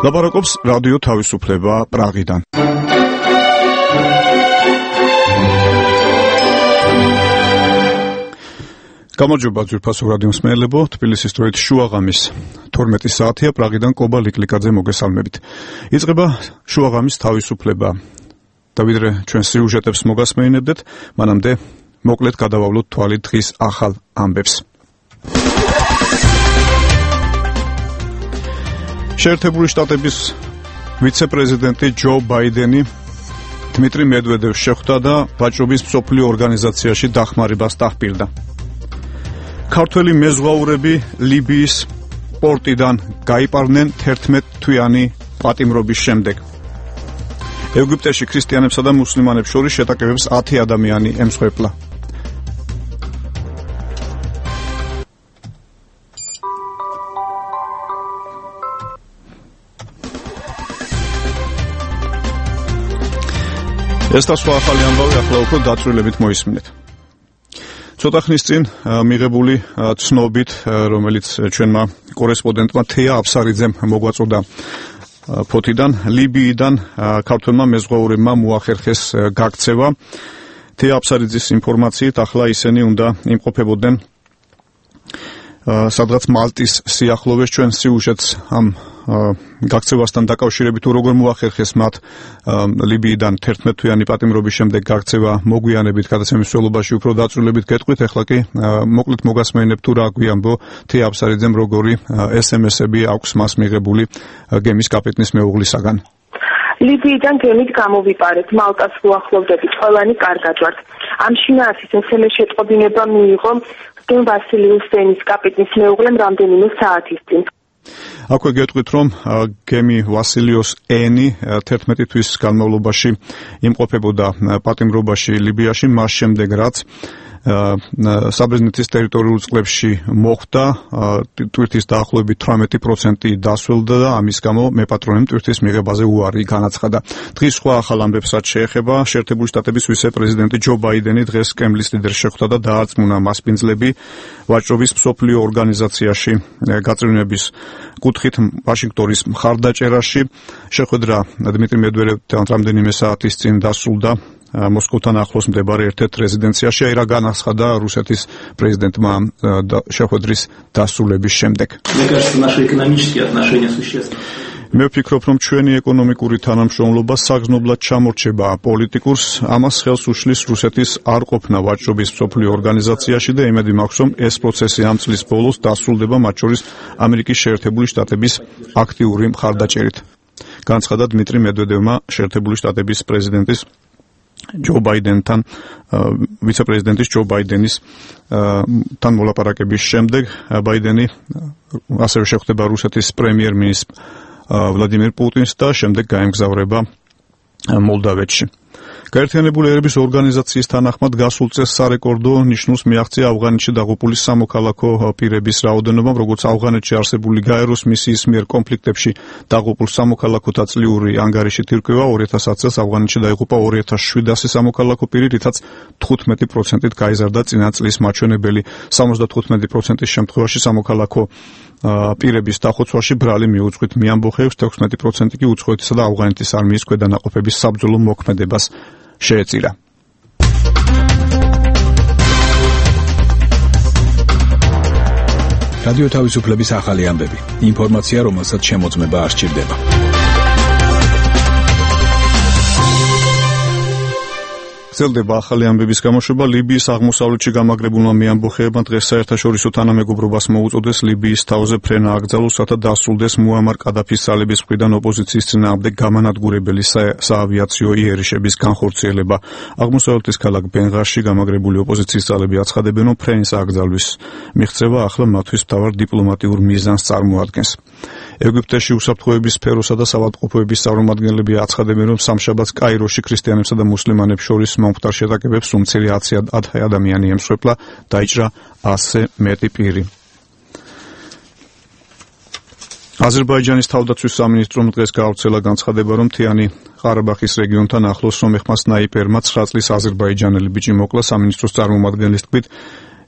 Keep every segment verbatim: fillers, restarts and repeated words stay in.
ლაპარაკობს რადიო თავისუფლება პრაღიდან. გამარჯობა ძვირფასო რადიო მსმენელებო, თბილისის დროით შუაღამის თორმეტი საათია, პრაღიდან კობა ლიკლიკაძე მოგესალმებით. იწყება შუაღამის თავისუფლება. და ვიდრე ჩვენ სიუჟეტებს მოგასმენებდეთ, მანამდე მოკლედ გადავავლოთ თვალი დღის ახალ ამბებს. შეერთებული შტატების ვიცე-პრეზიდენტი ჯო ბაიდენი დმიტრი მედვედევს შეხვდა და ვაჭრობის მსოფლიო ორგანიზაციაში დახმარებას დაჰპირდა. ქართველი მეზღვაურები ლიბიის პორტიდან გაიპარდნენ თერთმეტ-თვიანი პატიმრობის შემდეგ. ეგვიპტეში ქრისტიანებსა და მუსლიმანებს შორის შეტაკებებს ათი ადამიანი ემსხვერპლა. ეს და სხვა ახალი ამბავი ახლა უფრო დაწვრილებით მოისმინეთ. ცოტა ხნის წინ მიღებული ცნობით, რომელიც ჩვენმა კორესპონდენტმა თეა აფსარიძემ მოგვაწოდა ფოთიდან, ლიბიიდან ქართველმა მეზღვაურებმა მოახერხეს გაქცევა. თეა აფსარიძის ინფორმაციით ახლა ისინი უნდა იმყოფებოდნენ სადღაც მალტის სიახლოვეს. ჩვენ სიუჟეტს ამ გაქცევასთან დაკავშირებით თუ როგორ მოახერხეს მათ ლიბიიდან თერთმეტ-თვიანი პატიმრობის შემდეგ გაქცევა მოგვიანებით გადაცემის მსვლელობაში უფრო დაწვრილებით გეტყვით. ახლა კი მოკლედ მოგასმენებ თუ რა გვიამბო თეა აფსარიძემ, როგორი ეს ემ ესები აქვს მას მიღებული გემის კაპიტნის მეუღლისაგან. ლიბიიდან გემით გამოვიპარეთ, მალტას უახლოვდებით, ყველანი კარგად ვართ. ამ შინაარსის ეს ემ ეს შეტყობინება მიიღო გემ ვასილიუს დენის კაპიტნის მეუღლემ რამდენიმე საათის წინ. აქვე გეტყვით, რომ გემი ვასილიუს ენი თერთმეტი თვის განმავლობაში იმყოფებოდა პატიმრობაში ლიბიაში, მას შემდეგ რაც საბერძნეთის ტერიტორიულ წყლებში მოხვდა, ტვირთის დაახლოებით თვრამეტი პროცენტი დასველდა და ამის გამო მეპატრონემ ტვირთის მიღებაზე უარი განაცხადა. დღის სხვა ახალ ამბებსაც შეეხება. შეერთებული შტატების ვიცე-პრეზიდენტი ჯო ბაიდენი დღეს კრემლის ლიდერს შეხვდა და დაარწმუნა მასპინძლები ვაჭრობის მსოფლიო ორგანიზაციაში გაწევრიანების კუთხით ვაშინგტონის მხარდაჭერაში. შეხვედრა დმიტრი მედვედევთან რამდენიმე საათის წინ დასრულდა მოსკოვთან ახლოს მდებარე ერთ-ერთ რეზიდენციაში, აი რა განაცხადა რუსეთის პრეზიდენტმა შეხვედრის დასრულების შემდეგ. მე ვფიქრობ, რომ ჩვენი ეკონომიკური თანამშრომლობა საგრძნობლად ჩამორჩება პოლიტიკურს, ამას ხელს უშლის რუსეთის არ ყოფნა ვაჭრობის მსოფლიო ორგანიზაციაში და იმედი მაქვს, რომ ეს პროცესი ამ წლის ბოლოს დასრულდება, მათ შორის ამერიკის შეერთებული შტატების აქტიური მხარდაჭერით. განაცხადა დმიტრი მედვედევმა შეერთებული შტატების პრეზიდენტის ჯო ბაიდენთან, ვიცე-პრეზიდენტის ჯო ბაიდენის თან მოლაპარაკების შემდეგ. ბაიდენი ასევე შეხვდება რუსეთის პრემიერ-მინისტრ ვლადიმირ პუტინს და შემდეგ გაემგზავრება მოლდავეთში. გაერთიანებული ერების ორგანიზაციის თანახმად გასულ წელს სარეკორდო ნიშნულს მიაღწია ავღანეთში დაღუპული სამოქალაქო პირების რაოდენობამ, როგორც ავღანეთში არსებული გაეროს მისიის მიერ კონფლიქტებში დაღუპულ სამოქალაქოთა წლიური ანგარიშით ირკვევა, ორი ათას ათი წელს ავღანეთში დაიღუპა ორი ათას შვიდასი სამოქალაქო პირი, რითაც თხუთმეტი პროცენტით გაიზარდა წინა წლის მაჩვენებელი. სამოცდათხუთმეტი პროცენტის შემთხვევაში სამოქალაქო პირების დახოცვაში ბრალი მიუძღვით მიამბოხებს, ექვსმეტი პროცენტი კი უცხოეთისა და ავღანეთის არმიის ქვედანაყოფების საბრძოლო მოქმედებას შეეწირა. რადიო თავისუფლების ახალი ამბები. ინფორმაცია, რომელსაც შემოწმება არ სჭირდება. გრძელდება ახალი ამბების გამოშვება. ლიბიის აღმოსავლეთში გამაგრებულმა მეამბოხეებმა დღეს საერთაშორისო თანამეგობრობას მოუწოდეს ლიბიის თავზე ფრენა აკრძალოს, რათა დასრულდეს მუამარ კადაფის ძალების მხრიდან ოპოზიციის წინააღმდეგ გამანადგურებელი საავიაციო იერიშების განხორციელება. აღმოსავლეთის ქალაქ ბენღაზში გამაგრებული ოპოზიციის ძალები აცხადებენ, რომ ფრენის აკრძალვის მიღწევა ახლა მათთვის მთავარ დიპლომატიურ მიზანს წარმოადგენს. ეგვიპტეში უსაფრთხოების სფეროსა და საავადმყოფოების წარმომადგენლები აცხადებენ, რომ სამშაბათს კაიროში ქრისტიანებსა და მუსლიმანებს შორის მომხდარ შეტაკებებს უმცირე ათი ადამიანი ემსხვერპლა, დაიჭრა ასზე მეტი პირი. აზერბაიჯანის თავდაცვის სამინისტრომ დღეს გაავრცელა განცხადება, რომ მთიანი ყარაბაღის რეგიონთან ახლოს სომეხმა სნაიპერმა ცხრა წლის აზერბაიჯანელი ბიჭი მოკლა. სამინისტროს წარმომადგენლის თქმით,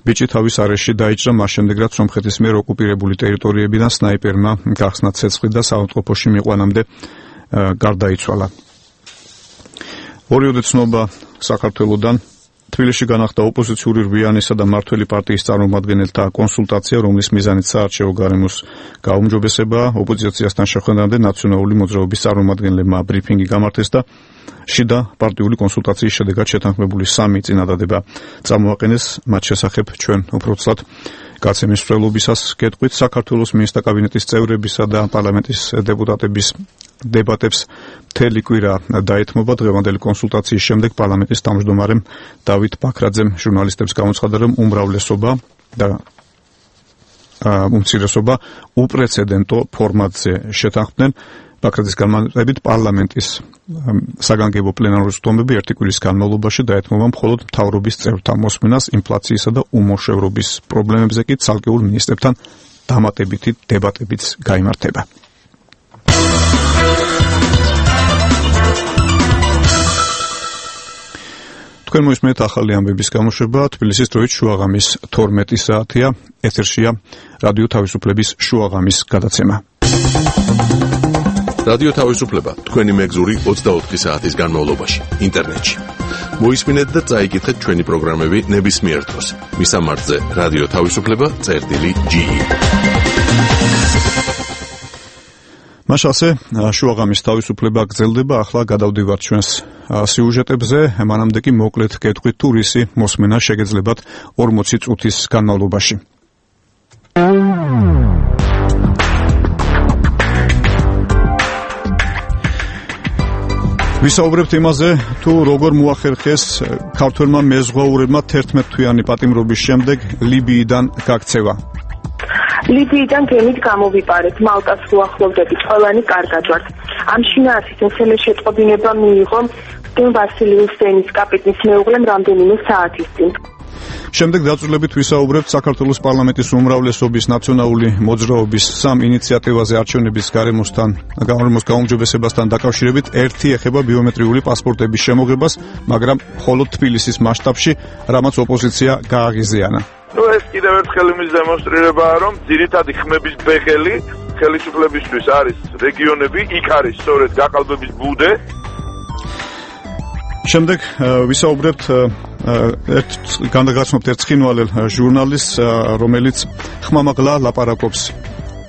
ბიჭი თავის არეში დაიჭრა მას შემდეგ, რაც სომხეთის მიერ ოკუპირებული ტერიტორიებიდან სნაიპერმა გახსნა ცეცხლი და საავადმყოფოში მიყვანამდე გარდაიცვალა. ორიოდე ცნობა საქართველოდან. თბილისში განახდა ოპოზიციური რვიანისა და მმართველი პარტიის წარმომადგენელთა კონსულტაცია, რომლის მიზანიც საარჩევნო გარემოს გაუმჯობესებაა. ოპოზიციასთან შეხვედრამდე ნაციონალური მოძრაობის წარმომადგენლებმა ბრიფინგი გამართეს და შიდა პარტიული კონსულტაციის შედეგად შეთანხმებული სამი წინადადება წამოაყენეს. მათ შესახებ ჩვენ უბრალოდ გაცემის მსვლელობისას გეტყვით. საქართველოს მინისტრთა კაბინეტის წევრებისა და პარლამენტის დეპუტატების დებატებს მთელი კვირა დაეთმობა. დღევანდელი კონსულტაციის შემდეგ პარლამენტის თავმჯდომარემ დავით ბაქრაძემ ჟურნალისტებს გამოცხადა, რომ უმრავლესობა და უმცირესობა უპრეცედენტო ფორმატზე შეთანხმდნენ. ბაქრაძის განმარტებით პარლამენტის საგანგებო პლენარული სხდომები ერთი კვირის განმავლობაში დაეთმობა მხოლოდ მთავრობის წევრთა მოსმენას, ინფლაციისა და უმოშევრობის პრობლემებზე კი ცალკეულ მინისტრებთან დამატებითი დებატებიც გაიმართება. თქვენ მოისმენთ ახალი ამბების გამოშვება. თბილისის დროით შუაღამის თორმეტი საათია. ეთერშია რადიო თავისუფლების შუაღამის გადაცემა. რადიო თავისუფლება თქვენი მეგზური ოცდაოთხი საათის განმავლობაში ინტერნეტში. მოისმინეთ და წაიკითხეთ ჩვენი პროგრამები ნებისმიერ დროს. მისამართზე რადიო თავისუფლება წერტილი ჯი. მაშასე შუაღამის თავისუფლება გრძელდება. ახლა გადავდივართ ჩვენს სიუჟეტებზე. მანამდე კი მოკლედ გეტყვით თუ რისი მოსმენა შეგეძლებათ ორმოცი წუთის განმავლობაში. ვისაუბრებთ იმაზე, თუ როგორ მოახერხეს ქართველმა მეზღვაურებმა თერთმეტთვიანი პატიმრობის შემდეგ ლიბიიდან გაქცევა. ლიბიიდან გემით გამოვიპარეთ, მალტას უახლოვდებით, ყველანი კარგად ვართ. ამ შინაარსის ესმე შეტყობინება მიიღო დენ ვასილიუს სენის კაპიტნის მეუღლემ რამდენიმე საათის წინ. შემდეგ დაწვრილებით ვისაუბრებთ საქართველოს პარლამენტის უმრავლესობის ნაციონალური მოძრაობის სამ ინიციატივაზე არჩევნების გარემოსთან გარემოს გაუმჯობესებასთან დაკავშირებით. ერთი ეხება ბიომეტრიული პასპორტების შემოღებას, მაგრამ მხოლოდ თბილისის მასშტაბში, რამაც ოპოზიცია გააღიზიანა. ნუ ეს კიდევ ერთხელ იმის დემონსტრირებაა, რომ ძირითადი ხმების ბეღელი ხელისუფლებისთვის არის რეგიონები, იქ არის სწორედ გაყალბების ბუდე. შემდეგ ვისაუბრებთ ერთ განაგაცნობთ ერთ ცხინვალელ ჟურნალისტს, რომელიც ხმამაღლა ლაპარაკობს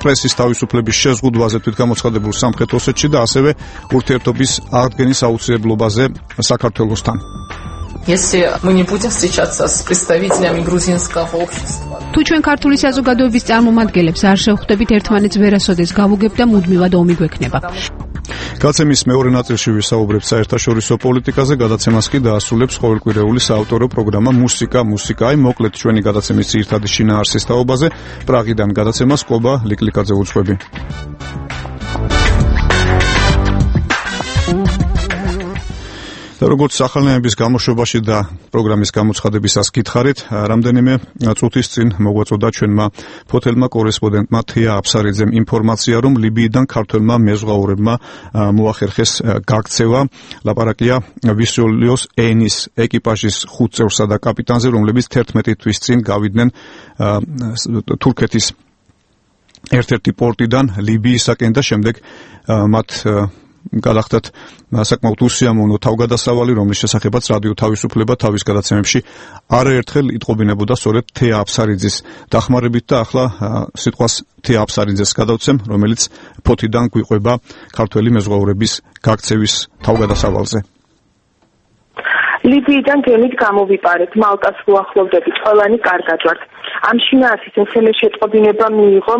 პრესის თავისუფლების შეზღუდვაზე თვითგამოცხადებულ სამხრეთ ოსეთში და ასევე ურთიერთობის აღდგენის აუცილებლობაზე საქართველოსთან. Если мы не будем встречаться с представителями грузинского общества. თუ ჩვენ ქართული საზოგადოების წარმომადგენლებს არ შევხვდებით, ერთმანეთს ვერასოდეს გავუგებთ და მუდმივად ომი გვექნება. გაცემის მეორე ნაწილში ვისაუბრებთ საერთაშორისო პოლიტიკაზე, გადაცემას კი დაასრულებს ყოველკვირეული საავტორო პროგრამა მუსიკა მუსიკა. აი მოკლედ ჩვენი გადაცემის ძირითადი შინაარსის თაობაზე. პრაღიდან გადაცემას კობა ლიკლიკაძე უძღვები. როგორც ახალნაირების გამოშვებაში და პროგრამის გამოცხადებისას გითხარით, რამდენიმე წუთის წინ მოგვაწოდა ჩვენმა ფოთელმა კორესპონდენტმა თია აფსარიძემ ინფორმაცია, რომ ლიბიიდან ქართველმა მეზღვაურებმა მოახერხეს გაქცევა. ლაპარაკია ვისოლიოს ენის ეკიპაჟის ხუთ წევრსა და კაპიტანზე, რომლებიც თერთმეტი თვის წინ გავიდნენ თურქეთის ერთ-ერთი პორტიდან ლიბიისაკენ და შემდეგ მათ გადახდათ საკმაოდ უსიამოვნო თავგადასავალი, რომლის შესახებაც რადიო თავისუფლება თავის გადაცემებში არაერთხელ იტყობინებოდა სწორედ თეა აფსარიძის დახმარებით და ახლა სიტყვას თეა აფსარიძეს გადავცემ, რომელიც ფოთიდან გვიყვება ქართველი მეზღვაურების გაქცევის თავგადასავალზე. ლიბიიდან გემით გამოვიპარეთ, მალტას უახლოვდებით, ყველანი კარგად ვართ. ამ შინაარსის ესმე შეტყობინება მიიღო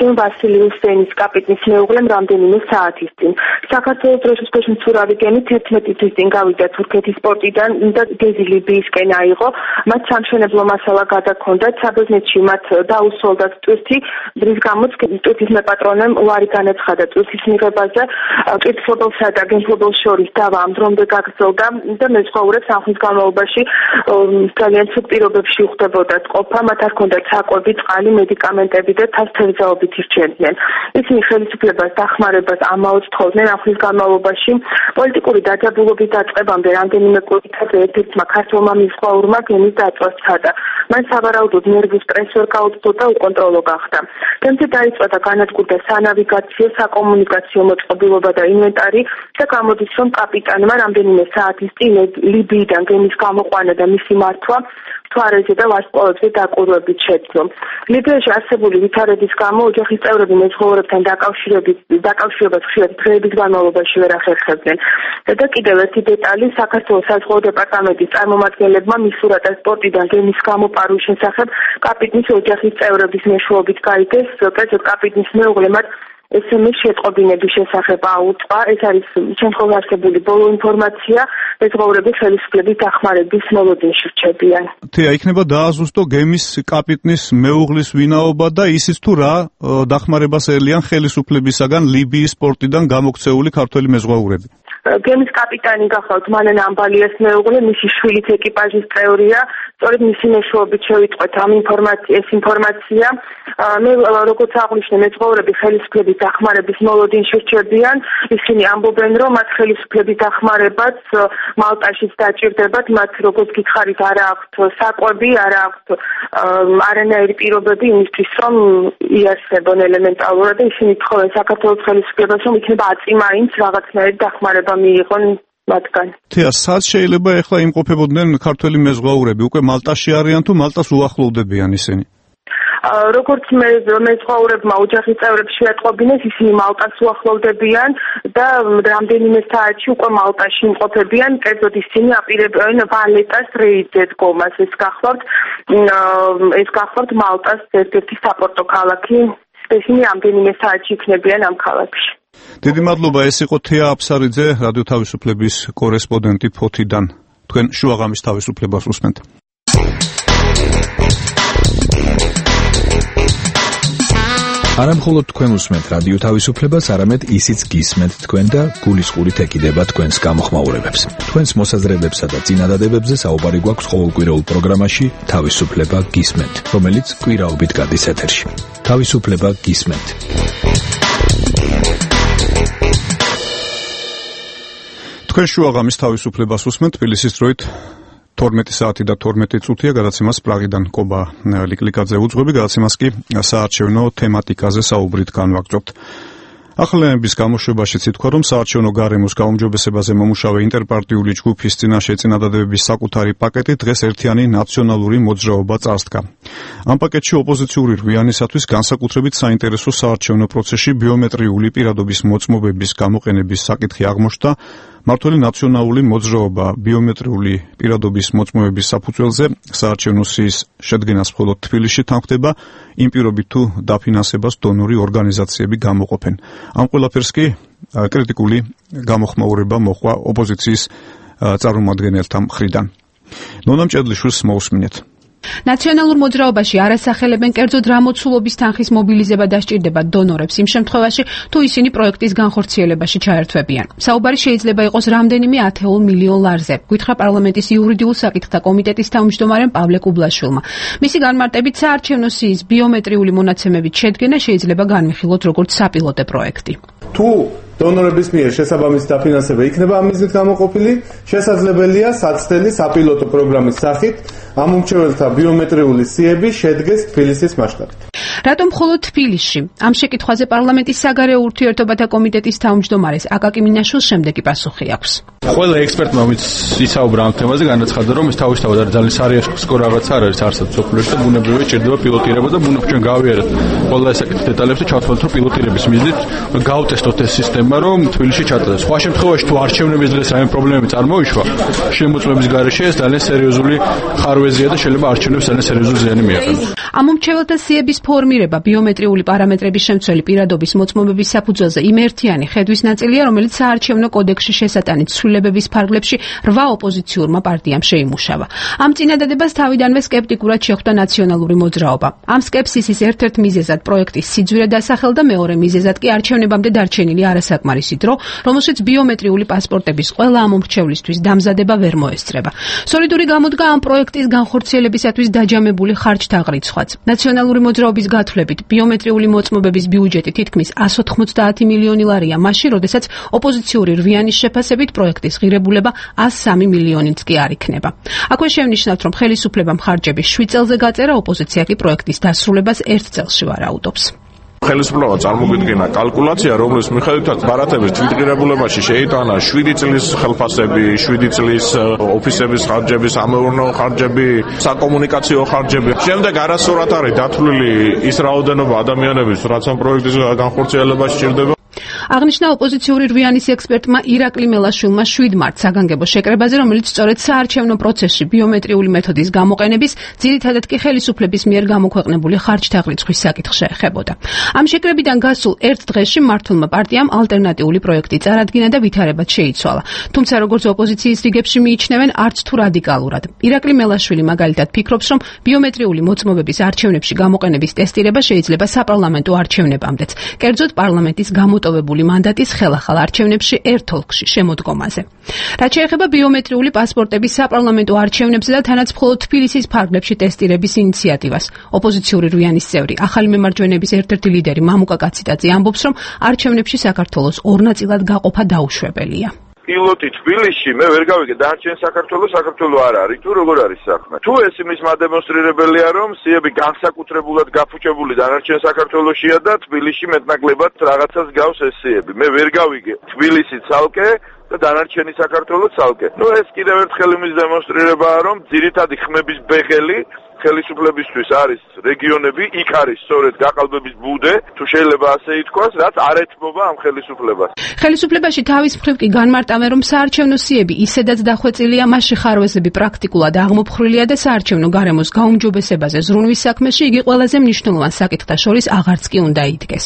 დენ ვასილიუს სენის კაპიტნის მეუღლემ რამდენიმე საათის წინ. საქართველოს დროშის მცურავი გემი თერთმეტი თვის წინ გავიდა თურქეთის პორტიდან და გეზი ლიბიისკენ აიღო. მათ სამშენებლო მასალა გადაქონდათ, საბერძნეთში მათ დაუსრულდათ ტვირთი, რის გამოც ტვირთის მეპატრონემ უარი განაცხადა ტვირთის მიღებაზე. ტვირთფლობელსა და გემფლობელს შორის დავა ამ დრომდე გაგრძელდა და მეზღვაურებს ამ ხნის განმავლობაში ძალიან ცუდ პირობებში ხვდებოდათ ყოფა. მათ არ ჰქონდათ საკვები, წყალი, მედიკამენტები და თავს თევზაობით მოწმობით ირჩევდნენ. ისინი ხელისუფლებას დახმარებას ამაოდ თხოვდნენ ამ ხნის განმავლობაში. პოლიტიკური დაძაბულობის დაწყებამდე რამდენიმე კვირით ერთ-ერთმა ქართველმა მისხვაურმა გემის დაწვას სცადა. მან სავარაუდოდ ნერვულ სტრესს ვერ გაუწვდა და უკონტროლო გახდა. გემზე დაიწყო და განადგურდა სანავიგაციო, საკომუნიკაციო მოწყობილობა და ინვენტარი და გამოდის, რომ კაპიტანმა რამდენიმე საათის წინ ლიბიიდან გემის გამოყვანა და მისი მართვა თვარეზე და ვარსკვლავებზე დაკვირვებით შეძლო. ლიბიაში არსებული ვითარების გამო ოჯახის წევრები მეზღვაურებთან დაკავშირებას ხშირად დღეების განმავლობაში ვერ ახერხებდნენ. და კიდევ ერთი დეტალი, საქართველოს საზღვაო დეპარტამენტის წარმომადგენლებმა მისურა და სპორტიდან გემის გამოპარვის შესახებ კაპიტნის ოჯახის წევრების მეშვეობით გაიგეს, კერძოდ კაპიტნის მეუღლე მათ ესემეს შეტყობინების შესახებ აუწყა. ეს არის შემთხვევაში არსებული ბოლო ინფორმაცია, მეზღვაურები ხელისუფლების დახმარების მოლოდინში რჩებიან. თეა იქნება დააზუსტო გემის კაპიტნის მეუღლის ვინაობა და ისიც თუ რა დახმარებას ელიან ხელისუფლებისაგან ლიბიის პორტიდან გამოქცეული ქართველი მეზღვაურები. გემის კაპიტანი გახლავთ მანან ამბალიას მეუღლე, მისი შვილიც ეკიპაჟის წევრია. სწორედ მისი მეშვეობით შევიტყვეთ ამ ინფორმაცია, ეს ინფორმაცია. მე როგორც აღვნიშნე, მეზღვაურები ხელისუფლების დახმარების მოლოდინში რჩებიან. ისინი ამბობენ, რომ მათ ხელისუფლების დახმარებაც მალტაშიც დაჭირდებათ, მათ როგორც გითხარით, არა აქვთ საკვები, არა აქვთ არანაირი პირობები იმისთვის, რომ იარსებონ ელემენტალურად და ისინი თხოვენ საქართველოს ხელისუფლებას, რომ იქნება აწი-მაინც რაღაცნაირი დახმარება მიიღონ მათგან. თეა, სად შეიძლება ეხლა იმყოფებოდნენ ქართველი მეზღვაურები? უკვე მალტაში არიან თუ მალტას უახლოვდებიან ისინი? როგორც მე მეზღვაურებმა ოჯახის წევრებს შეატყობინეს, ისინი მალტას უახლოვდებიან და რამდენიმე საათში უკვე მალტაში იმყოფებიან. კერძოდ ისინი აპირებენ ვალეტას რეიდზე დგომას. ეს გახლავთ ეს გახლავთ მალტას ერთ-ერთი საპორტო ქალაქი. ისინი რამდენიმე საათში იქნებიან ამ ქალაქში. დიდი მადლობა, ეს იყო თეა აფსარიძე, რადიო თავისუფლების კორესპონდენტი ფოთიდან. თქვენ შუაღამის თავისუფლებას უსმენთ. არა მხოლოდ თქვენ უსმენთ რადიო თავისუფლებას, არამედ ისიც გისმენთ თქვენ და გულისყურით ეკიდება თქვენს გამოხმაურებებს. თქვენს მოსაზრებებსა და წინადადებებზე საუბარი გვაქვს ყოველკვირეულ პროგრამაში თავისუფლება გისმენთ, რომელიც კვირაობით გადის ეთერში. თავისუფლება გისმენთ. თქვენ შუაღამის თავისუფლებას უსმენთ, თბილისის დროით თორმეტი საათი და თორმეტი წუთია, გადაცემას პრაღიდან კობა ლიკლიკაძე უძღვები, გადაცემას კი საარჩევნო თემატიკაზე საუბრით განვაგრძობთ. ახალენების გამოშვებაშიც ითქვა, რომ საარჩევნო გარემოს გაუმჯობესებაზე მომუშავე ინტერპარტიული ჯგუფის წინაშე წინადადებების საკუთარი პაკეტი დღეს ერთიანი ნაციონალური მოძრაობა წარსდგა. ამ პაკეტში ოპოზიციური რვიანისათვის განსაკუთრებით საინტერესო საარჩევნო პროცესში ბიომეტრიული პირადობის მოწმობების გამოყენების საკითხი აღმოჩნდა. მართველი ნაციონალური მოძრაობა ბიომეტრიული პირადობის მოწმობების საფუძველზე საარჩევნო სიის შედგენას მხოლოდ თბილისში თანხდება, იმ პირობით თუ დაფინანსებას დონორი ორგანიზაციები გამოყოფენ. ამ ყველაფერს კი კრიტიკული გამოხმაურება მოჰყვა ოპოზიციის წარმომადგენელთა მხრიდან. ნონა მჭედლიშვილს მოусმინეთ. ნაციონალურ მოძრაობაში არასახელებენ კერძოდ რა მოცულობის თანხის მობილიზება დასჭირდება დონორებს იმ შემთხვევაში, თუ ისინი პროექტის განხორციელებაში ჩაერთვებიან. საუბარი შეიძლება იყოს რამდენიმე ათეულ მილიონ ლარზე, გითხრა პარლამენტის იურიდიულ საკითხთა კომიტეტის თავმჯდომარემ პავლე კუბლაშვილმა. მისი განმარტებით, საარჩევნო სიის ბიომეტრიული მონაცემებით შედგენა შეიძლება განვიხილოთ როგორც საპილოტე პროექტი. თუ დონორების მიერ შესაბამისი დაფინანსება იქნება ამ მიზნით გამოყოფილი, შესაძლებელია საცდელი საპილოტო პროგრამის სახით ამ უმრჩეველთა ბიომეტრიული სიები შედგეს თბილისის მასშტაბით. რატომ მხოლოდ თბილისში? ამ შეკითხვაზე პარლამენტის საგარეო ურთიერთობათა კომიტეტის თავმჯდომარეს აკაკი მინაშვილს შემდეგი პასუხი აქვს. ყველა ექსპერტმა ვინც ისაუბრა ამ თემაზე, განაცხადა, რომ ეს თავისთავად არის ძალიან სარიცხო რაღაც არ არის არსად სოფლიოში და ბუნებრივია ჭირდება პილოტირება და ბუნებრივია ჩვენ გავიარეთ ყველა ესაკითხი დეტალებს და ჩავთვალოთ, რომ პილოტირების მიზნით გავტესტოთ ეს სისტემა, რომ თბილისში ჩატარდეს. სხვა შემთხვევაში თუ არჩევნების დღეს რაიმე პრობლემები წარმოიშვა, შემოწმების გარეშე ეს ძალიან სერიოზული ხარვეზია და შეიძლება არჩევნებს ძალიან სერიოზული ზიანი მიაყენოს. ამ უმრჩეველთა სიების ფორმირება ბიომეტრიული პარამეტრების შემცველი პირადობის მოწმობების საფუძველზე იმ ერთიანი ხედვის ნაწილია, რომელიც საარჩევნო კოდექსში შესატანით ცვლილებების ფარგლებში რვა ოპოზიციურმა პარტიამ შეიმუშავა. ამ წინადადებას თავიდანვე სკეპტიკურად შეხვდა ნაციონალური მოძრაობა. ამ სკეპსისის ერთ-ერთ მიზეზად პროექტის სიძვირე დასახელდა, მეორე მიზეზად კი არჩევნებამდე დარჩენილი არასაკმარისი დრო, რომელშიც ბიომეტრიული პასპორტების ყველა ამ უმრჩევლისთვის დამზადება ვერ მოესწრება. სოლიდური გამოდგა ამ პროექტის განხორციელებისათვის დაჯამებული ხარჯთა ღრიცხვაც. ნაციონალური მოძრაობის გათვლებით ბიომეტრიული მოწმობების ბიუჯეტი თითქმის εκατს ოთხმოცდაათი მილიონი ლარია მაშინ, როდესაც ოპოზიციური რვიანის შეფასებით პროექტის ღირებულება εκατს სამი მილიონიც კი არ იქნება. აქვე შევნიშნავთ, რომ ხელისუფლებამ ხარჯები შვიდ წელზე გაწერა, ოპოზიცია კი პროექტის დასრულებას ერთ წელში ვარაუდობს. ხელისუფლება წარმოგიდგენა კალკულაცია, რომლის მიხედვითაც ბარათების თვითღირებულებაში შეიტანა შვიდი წლის ხელფასები, შვიდი წლის ოფისების ხარჯები, სამეურნეო ხარჯები, საკომუნიკაციო ხარჯები. შემდეგ არასწორად არის დათვლილი ის რაოდენობა ადამიანების, რაც ამ პროექტის განხორციელებაში სჭირდება. აღნიშნა ოპოზიციური რვიანის ექსპერტმა ირაკლი მელაშვილმა შვიდ მარტს საგანგებო შეკრებაზე, რომელიც სწორედ საარჩევნო პროცესში ბიომეტრიული მეთოდის გამოყენების, ძირითადად კი ხელისუფლების მიერ გამოქვეყნებული ხარჯთაღრიცხვის საკითხს შეეხებოდა. ამ შეკრებიდან გასულ ერთ დღეში მმართველმა პარტიამ ალტერნატიული პროექტი წარადგინა და ვითარებად შეიცვალა. თუმცა როგორც ოპოზიციის რიგებში მიიჩნევენ, არც თუ რადიკალურად. ირაკლი მელაშვილი მაგალითად ფიქრობს, რომ ბიომეტრიული მოწმობების არჩევნებში გამოყენების ტესტირება შეიძლება საპარლამენტო არჩევნებამდეც, კერძოდ პარლამენტის გამოტოვებული მანდატის ხელახალ არჩევნებში ერთ ოლქში შემოდგომაზე. რაც შეეხება ბიომეტრიული პასპორტების საპარლამენტო არჩევნებზე და თანაც მხოლოდ თბილისის ფარგლებში ტესტირების ინიციატივას, ოპოზიციური რვიანის წევრი, ახალი მემარჯვენეების ერთ-ერთი ლიდერი მამუკა კაციტაძე ამბობს, რომ არჩევნებში საქართველოს ორ ნაწილად გაყოფა დაუშვებელია. პილოტი თბილისში მე ვერ გავიგე დარჩენ საქართველოს საქართველო არ არის თუ როგორ არის საქმე თუ ეს იმის მადემონსტრირებელია რომ სიები განსაკუთრებულად გაფუჭებული დანარჩენ საქართველოსია და თბილისში მეტნაკლებად რაღაცას გავს ეს სიები მე ვერ გავიგე თბილისი ცალკე და დანარჩენი საქართველო ცალკე ნუ ეს კიდევ ერთხელ იმის დემონსტრირებაა რომ ძირითადი ხმების ბეღელი ხელისუფლებისთვის არის რეგიონები, იქ არის სწორედ გაყალბების ბუდე, თუ შეიძლება ასე ითქვას, რაც არ ეთმობა ამ ხელისუფლებას. ხელისუფლებაში თავის მხრივ კი განმარტავენ, რომ საარჩევნო სიები ისედაც დახვეწილია, მასში ხარვეზები პრაქტიკულად აღმოფხრილია და საარჩევნო გარემოს გაუმჯობესებაზე ზრუნვის საქმეში იგი ყველაზე მნიშვნელოვან საკითხთა შორის აღარც კი უნდა იდგეს.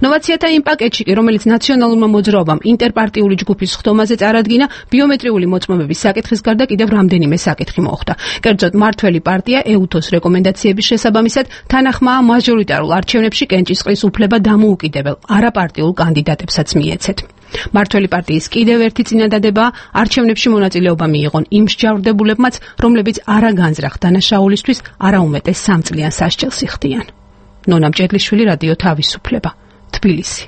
ნოვაციათა იმ პაკეტში კი, რომელიც ნაციონალურმა მოძრაობამ ინტერპარტიული ჯგუფის ხდომაზე წარადგინა, ბიომეტრიული მოწმობების საკითხის გარდა კიდევ რამდენიმე საკითხი მოხვდა. კერძოდ, მართველი პარტია ეუთოს რეკომენდაციების შესაბამისად თანახმაა მაჟორიტარულ არჩევნებში კენჭისყრის უფლება დამოუკიდებელ არაპარტიულ კანდიდატებსაც მიეცეთ. მართველი პარტიის კიდევ ერთი წინადადებაა არჩევნებში მონაწილეობა მიიღონ იმ მსჯავრდებულებმაც, რომლებიც არა განზრახ დანაშაულისთვის, არა უმეტეს სამ წლიან სასჯელს იხდიან. ნონა მჭედლიშვილი, რადიო თავისუფლება, თბილისი.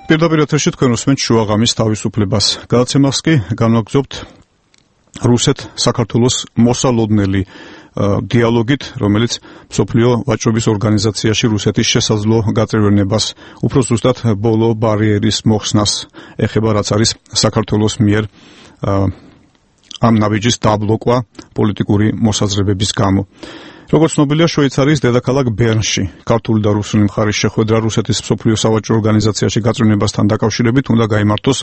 პირდაპირ ეთერში თქვენ უსმენთ შუაღამის თავისუფლებას. გადაცემას კი განვაგრძობთ რუსეთ-საქართველოს მოსალოდნელი დიალოგით, რომელიც მსოფლიო ვაჭრობის ორგანიზაციაში რუსეთის შესაძლო გაწევრიანებას, უფრო ზუსტად ბოლო ბარიერის მოხსნას ეხება, რაც არის საქართველოს მიერ ამ ნაბიჯის დაბლოკვა პოლიტიკური მოსაზრებების გამო. როგორც ცნობილია, შვეიცარიის დედაქალაქ ბერნში ქართული და რუსული მხარის შეხვედრა რუსეთის მსოფლიო სავაჭრო ორგანიზაციაში გაწევრიანებასთან დაკავშირებით უნდა გაიმართოს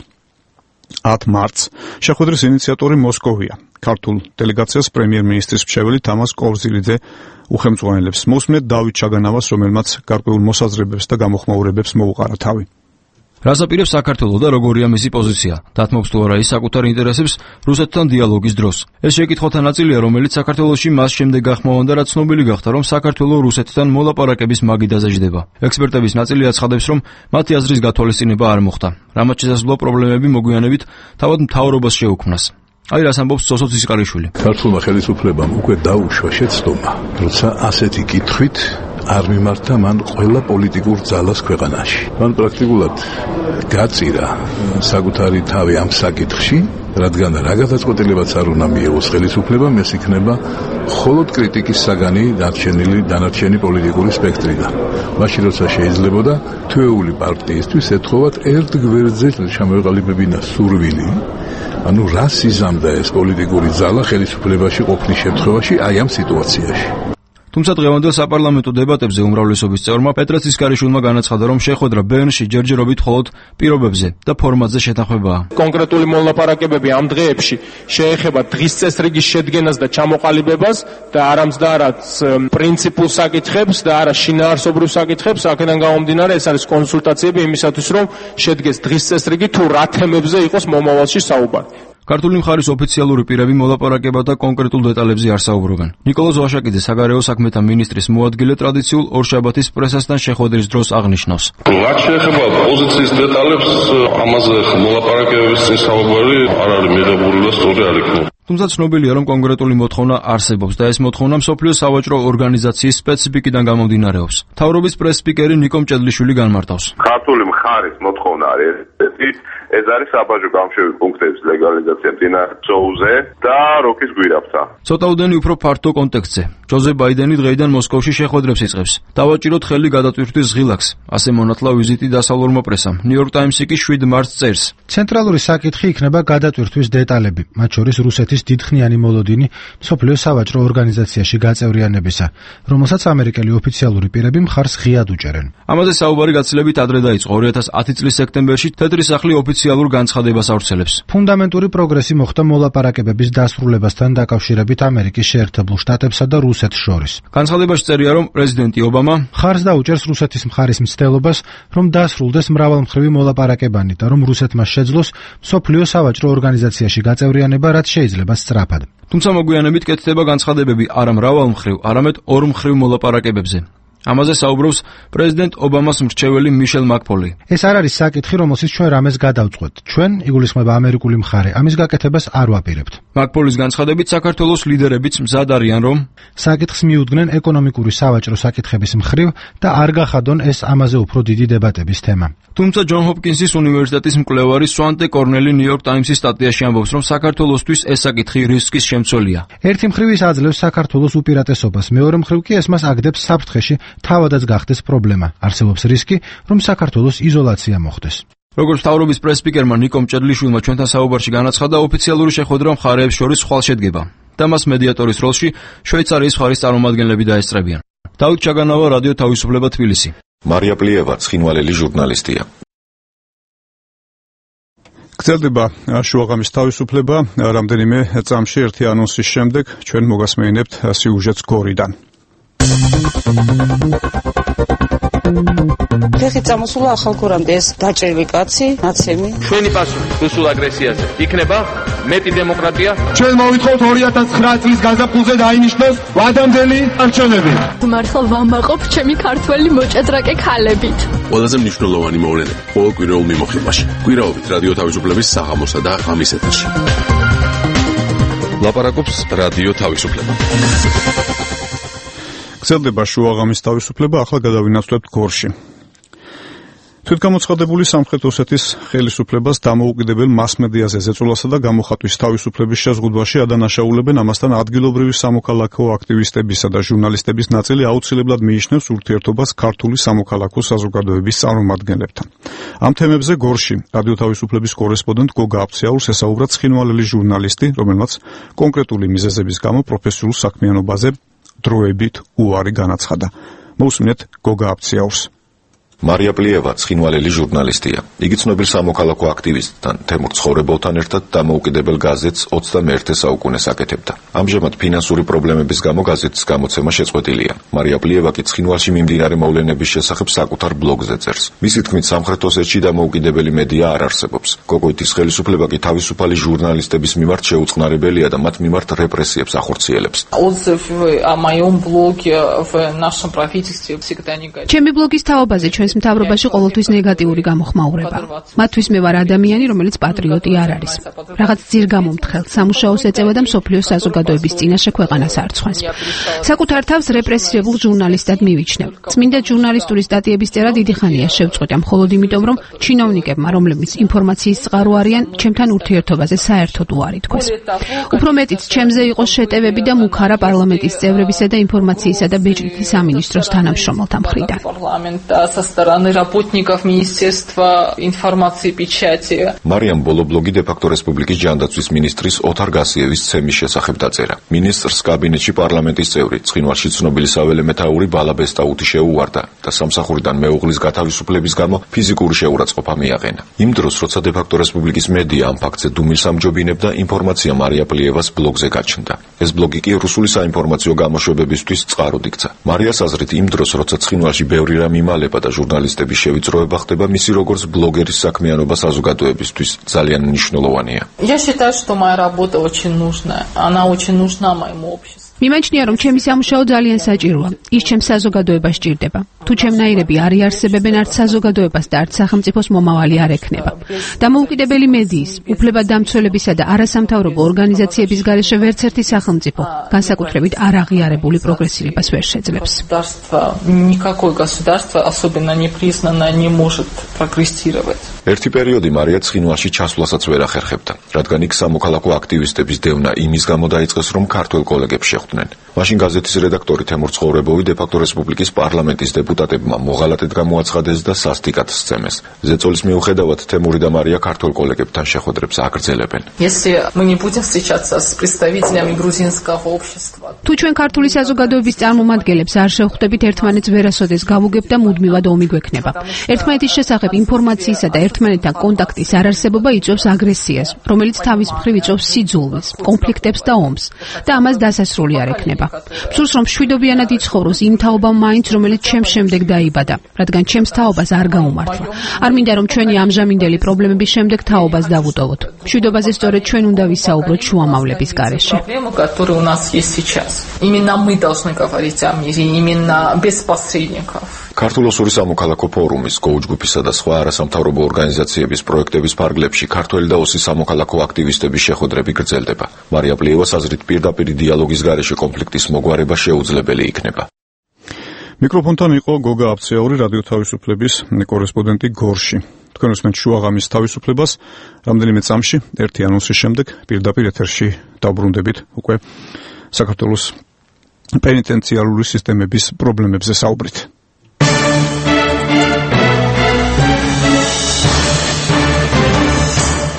ათ მარტს. შეხვედრის ინიციატორი მოსკოვია. ქართულ დელეგაციას პრემიერ-მინისტრის მრჩეველი თამაზ კორზილიძე უხელმძღვანელებს. მოსმენთ დავით ჩაგანავას, რომელმაც გარკვეულ მოსაზრებებს და გამოხმაურებებს მოუყარა თავი. რას აპირებს საქართველო და როგორია მისი პოზიცია? დათმობს თუ არა ის საკუთარ ინტერესებს რუსეთთან დიალოგის დროს? ეს შეკითხვათა ნაწილია, რომელიც საქართველოში მას შემდეგ გახმოვანდა, რაც ცნობილი გახდა, რომ საქართველო რუსეთთან მოლაპარაკების მაგიდაზე ჯდება. ექსპერტების ნაწილი აცხადებს, რომ მათი აზრის გათვალისწინება არ მოხდა. რამაც შესაძლოა პრობლემები მოგვიანებით თავად მთავრობას შეუქმნას. აი რას ამბობს სოსო ცისყარიშვილი. ქართულმა ხელისუფლებამ უკვე დაუშვა შეცდომა, როცა ასეთი კითხვით არ მიმართა მან ყველა პოლიტიკურ ძალას ქვეყანაში. მან პრაქტიკულად გაწირა საკუთარი თავი ამ საკითხში, რადგან რა გადაწყვეტილებაც არ უნდა მიიღოს ხელისუფლებამ, ეს იქნება მხოლოდ კრიტიკის საგანი დარჩენილი დანარჩენი პოლიტიკური სპექტრიდან. მაშინ როცა შეიძლებოდა თვეული პარტიისთვის ეთხოვათ ერთ გვერდზე ჩამოეყალიბებინა სურვილი, ანუ რა სიზამდა ეს პოლიტიკური ძალა ხელისუფლებაში ყოფნის შემთხვევაში აი ამ სიტუაციაში. თუმცა დღევანდელ საპარლამენტო დებატებზე უმრავლესობის წევრმა პეტრე ცისკარიშვილმა განაცხადა, რომ შეხვედრა ბერნში ჯერჯერობით მხოლოდ პირობებზე და ფორმატზე შეთანხმებაა. კონკრეტული მოლაპარაკებები ამ დღეებში შეეხება დღის წესრიგის შედგენას და ჩამოყალიბებას და არამც და არაც პრინციპულ საკითხებს და არა შინაარსობრივ საკითხებს. აქედან გამომდინარე, ეს არის კონსულტაციები იმისათვის, რომ შედგეს დღის წესრიგი თუ რა თემებზე იყოს მომავალში საუბარი. ქართული მხარის ოფიციალური პირები მოლაპარაკებათა კონკრეტულ დეტალებზე არ საუბრობენ. ნიკოლოზ ვაშაკიძე, საგარეო საქმეთა მინისტრის მოადგილე, ტრადიციულ ორშაბათის პრესასთან შეხვედრის დროს აღნიშნავს. რაც შეეხება პოზიციის დეტალებს, ამაზე მოლაპარაკებების წინ საუბარი არ არის მიღებული და სწორი არ იქნება. თუმცა ცნობილია, რომ კონკრეტული მოთხოვნა არსებობს და ეს მოთხოვნა მსოფლიო სავაჭრო ორგანიზაციის სპეციფიკიდან გამომდინარეობს. მთავრობის პრეს-სპიკერი ნიკო მჭედლიშვილი განმარტავს. ქართული მხარის მოთხოვნა არის ესეთი, ეს არის საბაჟო გამშვები პუნქტების ლეგალიზაცია მდინარე ზოუზე და როკის გვირაბთან. ცოტაუდენი უფრო ფართო კონტექსტზე. ჯოზე ბაიდენი დღეიდან მოსკოვში შეხვედრებს იწყებს. დავაჭიროთ ხელი გადატვირთვის ღილაკს, ასე მონათლა ვიზიტი დასავლურმა პრესამ. ნიუ-იორკ ტაიმსი კი შვიდ მარტს წერს. ცენტრალური საკითხი იქნება გადატვირთვის დეტალები, მათ შორის რუსეთის დიდხნიანი მოლოდინი მსოფლიო სავაჭრო ორგანიზაციაში გაწევრიანებისა, რომელსაც ამერიკელი ოფიციალური პირები მხარს ღიად უჭერენ. ამაზე საუბარი გაცილებით ადრე დაიწყო. ორი ათას ათი წლის სექტემბერში თეთრი სახლი ოფიციალურ განცხადებას ავრცელებს. ფუნდამენტური პროგრესი მოხდა მოლაპარაკებების დასრულებასთან დაკავშირებით ამერიკის შეერთებულ შტატებსა და რუსეთს შორის. განცხადებაში წერია, რომ პრეზიდენტი ობამა მხარს დაუჭერს რუსეთის მხარის მცდელობას, რომ დასრულდეს მრავალმხრივი მოლაპარაკებანი და რომ რუსეთმა შეძლოს მსოფლიო სავაჭრო ორგანიზაციაში გაწევრიანება, რაც შეიძლება სწრაფად. თუმცა მოგვიანებით კეთდება განცხადებები არა მრავალმხრივ, არამედ ორმხრივ მოლაპარაკებებზე. ამაზე საუბრობს პრეზიდენტ ობამას მრჩეველი მიშელ მაკფოლი. ეს არ არის საკითხი, რომელსაც ჩვენ რამეს გადავწყვეტ. ჩვენ, იგულისხმება ამერიკული მხარე, ამის გაკეთებას არ ვაპირებთ. მაკფოლის განცხადებით საქართველოს ლიდერებიც მზად არიან, რომ საკითხს მიუდგნენ ეკონომიკური სავაჭრო საკითხების მხრივ და არ გახადონ ეს ამაზე უფრო დიდი დებატების თემა. თუმცა ჯონ ჰოპკინსის უნივერსიტეტის მკვლევარი სვანტე კორნელი ნიუ-იორკ ტაიმსის სტატიაში ამბობს, რომ საქართველოსთვის ეს საკითხი რისკის შემცველია. ერთი მხრივ ის აძლევს საქართველოს უპირატესობას, მეორე მხრივ კი ეს მას აგდებს საფრთხეში, თავადაც გახდეს პრობლემა. არსებობს რისკი, რომ საქართველოს იზოლაცია მოხდეს. როგორც მთავრობის პრეს-სპიკერმა ნიკო მჭედლიშვილმა ჩვენთან საუბარში განაცხადა, ოფიციალური შეხვედრა მხარეებს შორის ხვალ შედგება და მას მედიატორის როლში შვეიცარიის მხარის წარმომადგენლები დაესწრებიან. დავით ჩაგანავა, რადიო თავისუფლება, თბილისი. მარია პლიევა, ცხინვალელი ჟურნალისტია. გრძელდება შუაღამის თავისუფლება. რამდენიმე წამში ერთი ანონსის შემდეგ ჩვენ მოგასმენინებთ სიუჟეტს გორიდან. ფეხი წამოსულა ახალგორამდე ეს დაჭერვი კაცი, ნაცემი. ჩვენი პასუხი რუსულ აგრესიაზე იქნება მეტი დემოკრატია. ჩვენ მოვითხოვთ ორი ათას ცხრა წლის გაზაფხულზე დაინიშნოს ვადამდელი არჩევნები. მართლა ვამაყობ ჩემი ქართველი მოჭადრაკე ქალებით. ყველაზე მნიშვნელოვანი მოვლენები ყოველ კვირაულ მიმოხილვაში. კვირაობით რადიო თავისუფლების საღამოსა და ღამის ეთერში. ლაპარაკობს რადიო თავისუფლება. გრძელდება შუაღამის თავისუფლება, ახლა გადავინაცვლებთ გორში. თვითგამოცხადებული სამხრეთ ოსეთის ხელისუფლებას დამოუკიდებელ მასმედიაზე ზეწოლასა და გამოხატვის თავისუფლების შეზღუდვაში ადანაშაულებენ, ამასთან ადგილობრივი სამოქალაქო აქტივისტებისა და ჟურნალისტების ნაწილი აუცილებლად მიიჩნევს ურთიერთობას ქართული სამოქალაქო საზოგადოების წარმომადგენლებთან. ამ თემებზე გორში რადიო თავისუფლების კორესპონდენტ გოგა აფციაურს ესაუბრა ცხინვალელი ჟურნალისტი, რომელმაც კონკრეტული მიზეზების გამო პროფესიულ საქმიანობაზე დროებით უარი განაცხადა. მოусმინეთ გოგა აფციაურს. მარია პლიევა, ცხინვალელი ჟურნალისტია. იგი ცნობილ სამოქალაქო აქტივისტთან, თემურ ცხოვრებოვთან ერთად დამოუკიდებელ გაზეთს ოცდამეერთე საუკუნეს აკეთებდა. ამჟამად ფინანსური პრობლემების გამო გაზეთის გამოცემა შეწყვეტილია. მარია პლიევა კი ცხინვალში მიმდინარე მოვლენების შესახებ საკუთარ ბლოგზე წერს. მისი თქმით, სამხრეთ ოსეთში დამოუკიდებელი მედია არ არსებობს. გოგოიტის ხელისუფლება კი თავისუფალი ჟურნალისტების მიმართ შეუწყნარებელია და მათ მიმართ რეპრესიებს ახორციელებს. ჩემი ბლოგის თაობაზე ჩვენს მთავრობაში ყოველთვის ნეგატიური გამოხმაურება. მათთვის მე ვარ ადამიანი, რომელიც პატრიოტი არ არის. რაღაც ძირგამომთხელს სამუშაოს ეწევა და მსოფლიო საზოგადოების წინაშე ქვეყანას არცხვენს. საკუთარ თავს რეპრესირებულ ჟურნალისტად მივიჩნევ. წმინდა ჟურნალისტური სტატიების წერა დიდი ხანია შევწყვეტა, მხოლოდ იმიტომ, რომ ჩინოვნიკებმა, რომლებიც ინფორმაციის წყარო არიან, ჩემთან ურთიერთობაზე საერთოდ უარი თქვეს. უფრო მეტიც, ჩემზე იყო შეტევები და მუქარა პარლამენტის წევრებისა და ინფორმაციისა და ბეჭდვითი სამინისტროს თანამშრომელთა მხრიდან. со стороны работников Министерства информации и печати. მარიამ ბოლო ბლოგი დე-ფაქტო რესპუბლიკის ჯანდაცვის მინისტრის ოთარ გასიევის ცემის შესახებ დაწერა. მინისტრს კაბინეტში პარლამენტის წევრი, ცხინვალში ცნობილი საველე მეთაური ბალა ბესტაუთი შეუვარდა და სამსახურიდან მეუღლის გათავისუფლების გამო ფიზიკური შეურაცხყოფა მიაყენა. იმ დროს, როცა დე-ფაქტო რესპუბლიკის მედია ამ ფაქტზე დუმილს ამჯობინებდა, ინფორმაცია მარია პლიევას ბლოგზე გაჩნდა. ეს ბლოგი კი რუსული საინფორმაციო გამოშვებებისთვის წყაროდ იქცა. მარიას აზრით, იმ დროს, როცა ცხინვალში ბევრი რამ იმალება და ჟურნალისტების შევიწროება ხდება მისი როგორც ბლოგერის საქმიანობა საზოგადოებისთვის ძალიან მნიშვნელოვანია. Я считаю, что моя работа очень нужная. Она очень нужна моему обществу. მიმაჩნია, რომ ჩემი სამუშაო ძალიან საჭიროა. ის ჩემს საზოგადოებას ჭირდება. თუ ჩემნაირები არ იარსებებენ არც საზოგადოებას და არც სახელმწიფოს მომავალი არ ექნება. დამოუკიდებელი მედიის, უფლებადამცველებისა და არასამთავრობო ორგანიზაციების გარეშე ვერც ერთი სახელმწიფო, განსაკუთრებით არ აღიარებული პროგრესირებას ვერ შეძლებს. Никакое государство, особенно непризнанное, не может прогрессировать. ერთი პერიოდი მარია ცხინვალში ჩასვლასაც ვერ ახერხებდა, რადგან იქ სამოქალაქო აქტივისტების დევნა იმის გამო დაიწყეს, რომ ქართველ კოლეგებს შეხვდნენ. მაშინ გაზეთის რედაქტორი თემურ ცხოვრებოვი დე-ფაქტო რესპუბლიკის პარლამენტის დეპუტატებმა მოღალატედ გამოაცხადეს და სასტიკად სცემეს. ზეწოლის მიუხედავად თემური და მარია ქართველ კოლეგებთან შეხვედრებს აგრძელებენ. Если мы не будем встречаться с представителями грузинского общества. თუ ჩვენ ქართული საზოგადოების წარმომადგენლებს არ შევხვდებით, ერთმანეთს ვერასოდეს გავუგებთ და მუდმივად ომი გვექნება. ერთმანეთის შესახებ ინფორმაციისა და ერთმანეთთან კონტაქტის არარსებობა იწვევს აგრესიას, რომელიც თავის მხრივ იწვევს სიძულვეს, კონფლიქტებს და ომს და ამას დასასრული არ ექნება. მსურს რომ მშვიდობიანად იცხოვროს იმ თაობამ მაინც, რომელიც ჩემს შემდეგ დაიბადა, რადგან ჩემს თაობას არ გაუმართლა. არ მინდა რომ ჩვენი ამჟამინდელი პრობლემების შემდეგ თაობას დავუტოვოთ. მშვიდობაზე სწორედ ჩვენ უნდა ვისაუბროთ შუამავლების გარეშე. Которые у нас есть сейчас. Именно мы должны говорить о мире, именно без посредников. ქართულ-ოსური სამოქალაქო ფორუმის, გოუჯგუფისა და სხვა არასამთავრობო ორგანიზაციების პროექტების ფარგლებში ქართველი და ოსი სამოქალაქო აქტივისტების შეხვედრები გრძელდება. მარია პლიევას აზრით პირდაპირ დიალოგის გარეშე კონფლიქტის მოგვარება შეუძლებელი იქნება. მიკროფონთან იყო გოგა აფცეაური, რადიო თავისუფლების კორესპონდენტი გორში. თქვენ უსმენთ შუაღამის თავისუფლებას. რამდენიმე წამში ერთი ანონსის შემდეგ პირდაპირ ეთერში დავბრუნდებით უკვე საქართველოს პენიტენციარული სისტემების პრობლემებზე საუბრით.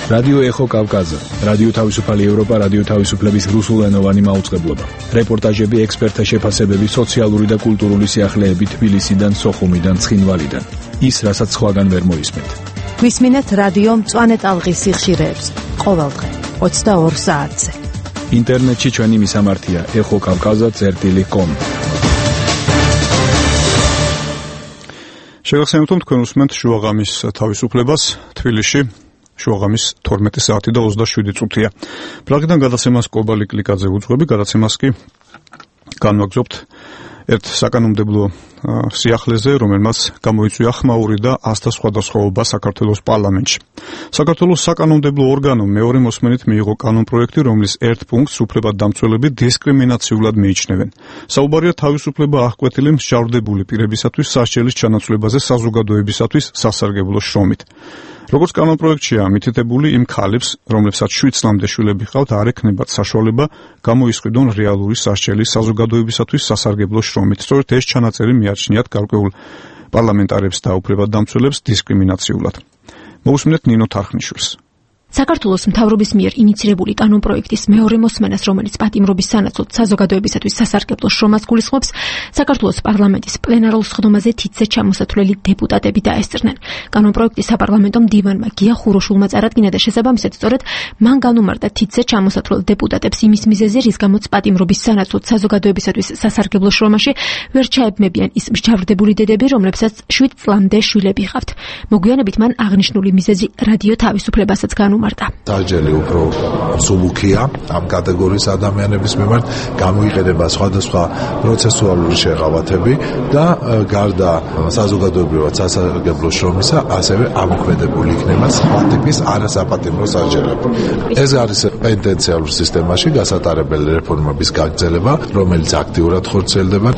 რადიო ეხო კავკაზა, რადიო თავისუფალი ევროპა, რადიო თავისუფლების რუსულენოვანი მაუწყებლობა. რეპორტაჟები, ექსპერტთა შეფასებები, სოციალური და კულტურული სიახლეები თბილისიდან, სოხუმიდან, ცხინვალიდან. ის, რასაც სხვაგან ვერ მოისმენთ. გვისმინეთ რადიო მწვანე ტალღის სიხშირეებს ყოველდღე ოცდაორ საათზე. ინტერნეტში ჩვენი მისამართია ეხო კავკაზა წერტილი კომ. შეგახსენებთ, რომ თქვენ უსმენთ შუაღამის თავისუფლებას თბილისში. შუაღამის თორმეტი საათი და ოცდაშვიდი წუთია. პრაღიდან გადაცემას კობალი კლიკაძე უძღვები, გადაცემას კი განვაგრძობთ ერთ საკანონმდებლო სიახლეზე, რომელმაც გამოიწვია ხმაური და ასთა სხვადასხვაობა საქართველოს პარლამენტში. საქართველოს საკანონმდებლო ორგანომ მეორე მოსმენით მიიღო კანონპროექტი, რომლის ერთ პუნქტს უფლებადამცველები დისკრიმინაციულად მიიჩნევენ. საუბარია თავისუფლება აღკვეთილი მსჯავრდებული პირებისათვის სასჯელის ჩანაცვლებაზე საზოგადოებისათვის სასარგებლო შრომით. როგორც კანონპროექტშია მითითებული, იმ ქალებს, რომლებსაც შვიდ წლამდე შვილები ჰყავთ, არ ექნებათ საშუალება გამოისყიდონ რეალური სასჯელი საზოგადოებისათვის სასარგებლო შრომით. სწორედ ეს ჩანაწერი მიაჩნიათ გარკვეულ პარლამენტარებს და უფლებადამცველებს დისკრიმინაციულად. მოусმინეთ ნინო თარხნიშვილს. საქართველოს მთავრობის მიერ ინიცირებული კანონპროექტის მეორე მოსმენას, რომელიც პატიმრობის სანაცვლოდ საზოგადოებისათვის სასარგებლო შრომას გულისხმობს, საქართველოს პარლამენტის პლენარულ სხდომაზე თითზე ჩამოსათვლელი დეპუტატები დაესწრნენ. კანონპროექტი საპარლამენტო მდივანმა გია ხუროშულმა წარადგინა და შესაბამისად სწორედ მან განუმარტა თითზე ჩამოსათვლელ დეპუტატებს იმის მიზეზი, რის გამოც პატიმრობის სანაცვლოდ საზოგადოებისათვის სასარგებლო შრომაში ვერ ჩაებმებიან ის მსჯავრდებული დედები, რომლებსაც შვიდ წლამდე შვილები ჰყავთ. მოგვიანებით მან აღნიშნული მიზეზი რადიო თავისუფლებასაც განუმარტა. სასჯელი უფრო მსუბუქია ამ კატეგორიის ადამიანების მიმართ, გამოიყენება სხვადასხვა პროცესუალური შეღავათები და გარდა საზოგადოებრივად სასარგებლო შრომისა, ასევე ამოქმედებული იქნება სხვა ტიპის არასაპატიმრო სასჯელები. ეს არის პენიტენციარულ სისტემაში გასატარებელი რეფორმების გაგრძელება, რომელიც აქტიურად ხორციელდება.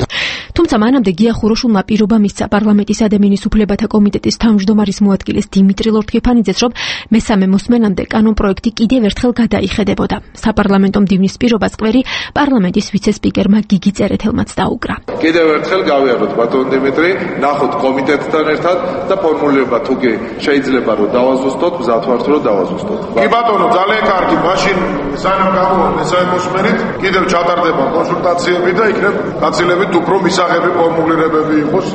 თუმცა მანამდე გია ხუროშულმა პირობა მისცა პარლამენტის ადამიანის უფლებათა კომიტეტის თავმჯდომარის მოადგილეს დიმიტრი ლორთქიფანიძეს, რომ მესამე მოსმენამდე კანონპროექტი კიდევ ერთხელ გადაიხედებოდა. საპარლამენტო მდივნის პირობას კვერი პარლამენტის ვიცე-სპიკერმა გიგი წერეთელმაც დაუკრა. კიდევ ერთხელ გავიაროთ ბატონ დიმიტრი, ნახოთ კომიტეტთან ერთად და ფორმულირება თუ კი შეიძლება რომ დავაზუსტოთ, მზად ვართ რომ დავაზუსტოთ. კი ბატონო, ძალიან კარგი, მაშინ სანამ გამოვართ მესამე მოსმენით, კიდევ ჩატარდება კონსულტაციები და იქნებ გაცილებით უფრო მისაღები ფორმულირებები იყოს.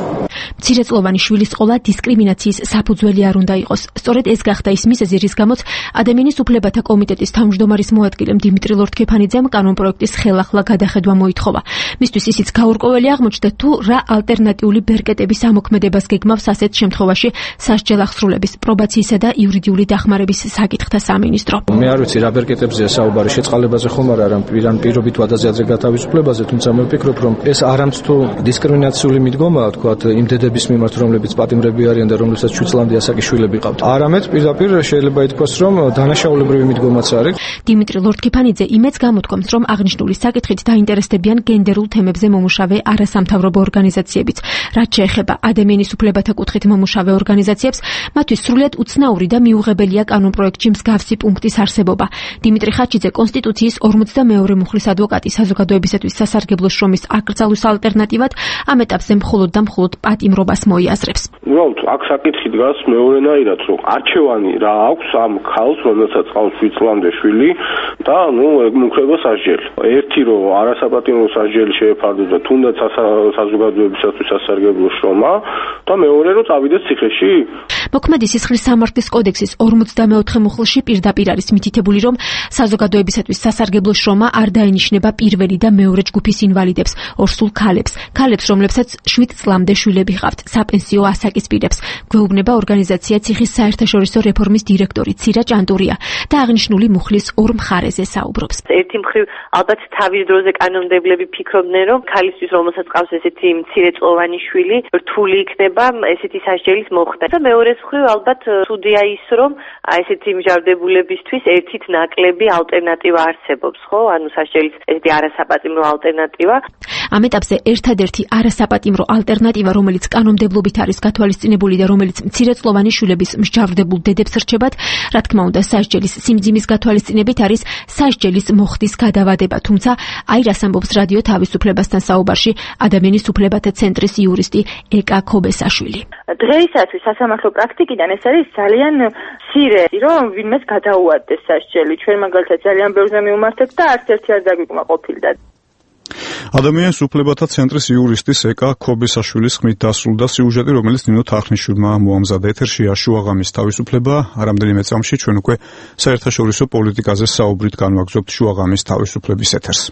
მცირეწლოვანი შვილის ყოლა დისკრიმინაციის საფუძველი არ უნდა იყოს. სწორედ ეს გახდა ის მიზეზი, რის გამოც ადამიანის უფლებათა კომიტეტის თავმჯდომარის მოადგილემ დიმიტრი ლორთქიფანიძემ კანონპროექტის ხელახლა გადახედვა მოითხოვა. მისთვის ისიც გაურკვეველი აღმოჩნდა, თუ რა ალტერნატიული ბერკეტების ამოქმედებას გეგმავს ასეთ შემთხვევაში სასჯელ აღსრულების, პრობაციისა და იურიდიული დახმარების საკითხთა სამინისტრო. მე არ ვიცი რა ბერკეტებზეა საუბარი, შეწყალებაზე ხომ არა, რამ პირან პირობით ვადაზე გათავისუფლებაზე, თუმცა მე ვფიქრობ, რომ ეს არამც თუ დისკრიმინაციული მიდგომაა, თქვათ, იმ დედების მიმართ, რომლებიც პატიმრები არიან და რომლებსაც შვიდ წლამდე ასაკი შვილები ყავთ. არამედ პირდაპირ შეიძლება ითქვას, რომ დანაშაულებრივი მიდგომაც არის. დიმიტრი ლორთქიფანიძე იმედს გამოთქვამს, რომ აღნიშნული საკითხით დაინტერესდებიან გენდერულ თემებზე მომუშავე არასამთავრობო ორგანიზაციებიც. რაც შეეხება ადამიანის უფლებათა კუთხით მომუშავე ორგანიზაციებს, მათთვის სრულიად უცნაური და მიუღებელია კანონპროექტში მსგავსი პუნქტის არსებობა. დიმიტრი ხაჩიძე კონსტიტუციის ორმოცდამეორე მუხლის ადვოკატი საზოგადოებისათვის სასარგებლო შრომის აკრძალვის ალტერნატივად ამ ეტაპზე მხოლოდ და მხოლოდ პატიმრობას მოიაზრებს. უბრალოდ აქ საკითხი დგას მეორენაირად, რომ არჩევანი რა აქვს ამ ქალს, რომელსაც ყავს შვიდ წლამდე შვილი და ნუ ემუქრება სასჯელი. ერთი რომ არასაპატიმრო სასჯელი შეეფარდოს და თუნდაც საზოგადოებისათვის სასარგებლო შრომა და მეორე რომ წავიდეს ციხეში. მოქმედი სისხლის სამართლის კოდექსის ორმოცდამეოთხე მუხლში პირდაპირ არის მითითებული, რომ საზოგადოებისათვის სასარგებლო შრომა არ დაენიშნება პირველი და მეორე ჯგუფის ინვალიდებს, ორსულ ქალებს, ქალებს, რომლებსაც შვიდ წლამდე შვილები ჰყავთ, საპენსიო ასაკის პირებს. გვეუბნება ორგანიზაცია ციხის საერთაშორისო რეფორმის დირექტორი ცირა ჭანტურია და აღნიშნული მუხლის ორ მხარეზე საუბრობს. ერთი მხრივ ალბათ თავის დროზე კანონმდებლები ფიქრობდნენ, რომ ქალისთვის, რომელსაც ყავს ესეთი მცირეწლოვანი შვილი, რთული იქნება ესეთი სასჯელის მოხდა. და მეორე მხრივ ალბათ ცუდია ის, რომ ესეთი მსჯავრდებულებისთვის ერთით ნაკლები ალტერნატივა არსებობს, ხო? ანუ სასჯელის ესეთი არასაპატიმრო ალტერნატივა. ამ ეტაპზე ერთადერთი არასაპატიმრო ალტერნატივა, რომელიც კანონმდებლობით არის გათვალისწინებული და რომელიც მცირეწლოვანი შვილების მსჯავრდებულ დედებს რჩებათ, რა თქმა უნდა, სასჯელის სიმძიმის გათვალისწინებით არის სასჯელის მოხდის გადავადება. თუმცა, აი რას ამბობს რადიო თავისუფლებასთან საუბარში ადამიანის უფლებათა ცენტრის იურისტი ეკა ქობესაშვილი. დღეისათვის სასამართლო პრაქტიკიდან ეს არის ძალიან მცირე, რომ ვინმეს გადაუადდეს სასჯელი. ჩვენ მაგალითად ძალიან ბევრზე მივმართეთ და არც ერთი არ დაგვიკმაყოფილდა. ადამიანის უფლებათა ცენტრის იურისტის ეკა ქობესაშვილის ხმით დასრულდა სიუჟეტი, რომელიც ნინო თახნიშვილმა მოამზადა. ეთერშია შუაღამის თავისუფლება. რამდენიმე წამში ჩვენ უკვე საერთაშორისო პოლიტიკაზე საუბრით განვაგრძობთ შუაღამის თავისუფლების ეთერს.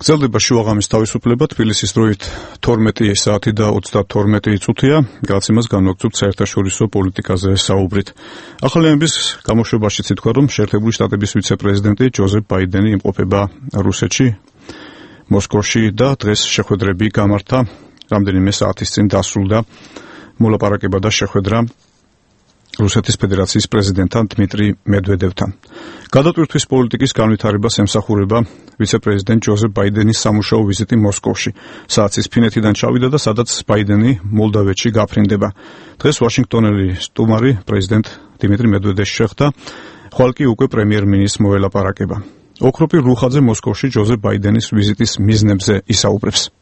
გრძელდება შუაღამის თავისუფლება. თბილისის დროით თორმეტი საათი და ოცდათორმეტი წუთია. გაცემას განვაგრძობთ საერთაშორისო პოლიტიკაზე საუბრით. ახალიანების გამოშვებაშიც ითქვა, რომ შეერთებული შტატების ვიცე-პრეზიდენტი ჯოზეფ ბაიდენი იმყოფება რუსეთში, მოსკოვში და დღეს შეხვედრები გამართა. რამდენიმე საათის წინ დასრულდა მოლაპარაკება და შეხვედრა რუსეთის ფედერაციის პრეზიდენტთან დმიტრი მედვედევთან. გადატვირთვის პოლიტიკის განვითარებას ემსახურება ვიცე-პრეზიდენტ ჯოზეფ ბაიდენის სამუშაო ვიზიტი მოსკოვში. საათის ფინეთიდან ჩავიდა და სადაც ბაიდენი მოლდავეთში გაფრინდება. დღეს ვაშინგტონელი სტუმარი პრეზიდენტ დიმიტრი მედვედევს შეხვდა, ხვალ კი უკვე პრემიერ-მინისტრს მოელაპარაკება. ოქროპირ რუხაძე მოსკოვში ჯოზეფ ბაიდენის ვიზიტის მიზნებზე ისაუბრებს.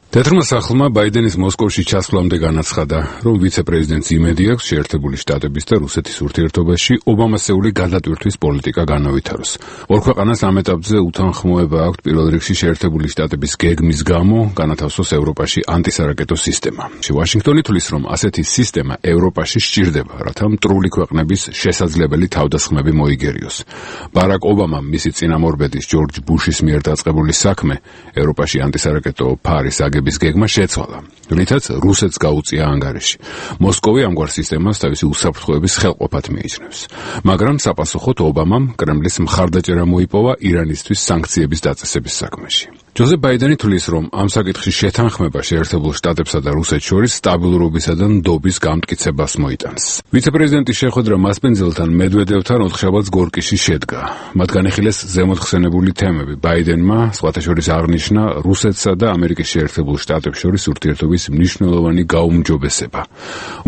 თეთრმა სახლმა ბაიდენის მოსკოვში ჩასვლამდე განაცხადა, რომ ვიცე-პრეზიდენტს იმედი აქვს შეერთებული შტატების და რუსეთის ურთიერთობაში ობამასეული გადატვირთვის პოლიტიკა განავითაროს. ორ ქვეყანას ამ ეტაპზე უთანხმოება აქვთ პირველ რიგში შეერთებული შტატების გეგმის გამო განათავსოს ევროპაში ანტისარაკეტო სისტემა. ვაშინგტონი თვლის, რომ ასეთი სისტემა ევროპაში სჭირდება, რათა მტრული ქვეყნების შესაძლებელი თავდასხმები მოიგერიოს. ბარაკ ობამამ მისი წინამორბედის ჯორჯ ბუშის მიერ დაწყებული საქმე ევროპაში ანტისარაკეტო ფარის გების გეგმა შეცვალა, რითაც რუსეთს გაუწია ანგარიში. მოსკოვი ამგვარ სისტემას თავისი უსაფრთხოების ხელყოფად მიიჩნევს. მაგრამ საპასუხოდ ობამამ კრემლის მხარდაჭერა მოიპოვა ირანისთვის სანქციების დაწესების საქმეში. ჯოზეფ ბაიდენი თვლის, რომ ამ საკითხში შეთანხმება შეერთებულ შტატებსა და რუსეთს შორის სტაბილურობისა და ნდობის გამტკიცებას მოიტანს. ვიცე-პრეზიდენტის შეხვედრა მასპინძელთან მედვედევთან ოთხშაბათს გორკიში შედგა. მათ განიხილეს ზემოთხსენებული თემები. ბაიდენმა სხვათა შორის აღნიშნა რუსეთსა და ამერიკის შეერთებულ შტატებს შორის ურთიერთობის მნიშვნელოვანი გაუმჯობესება.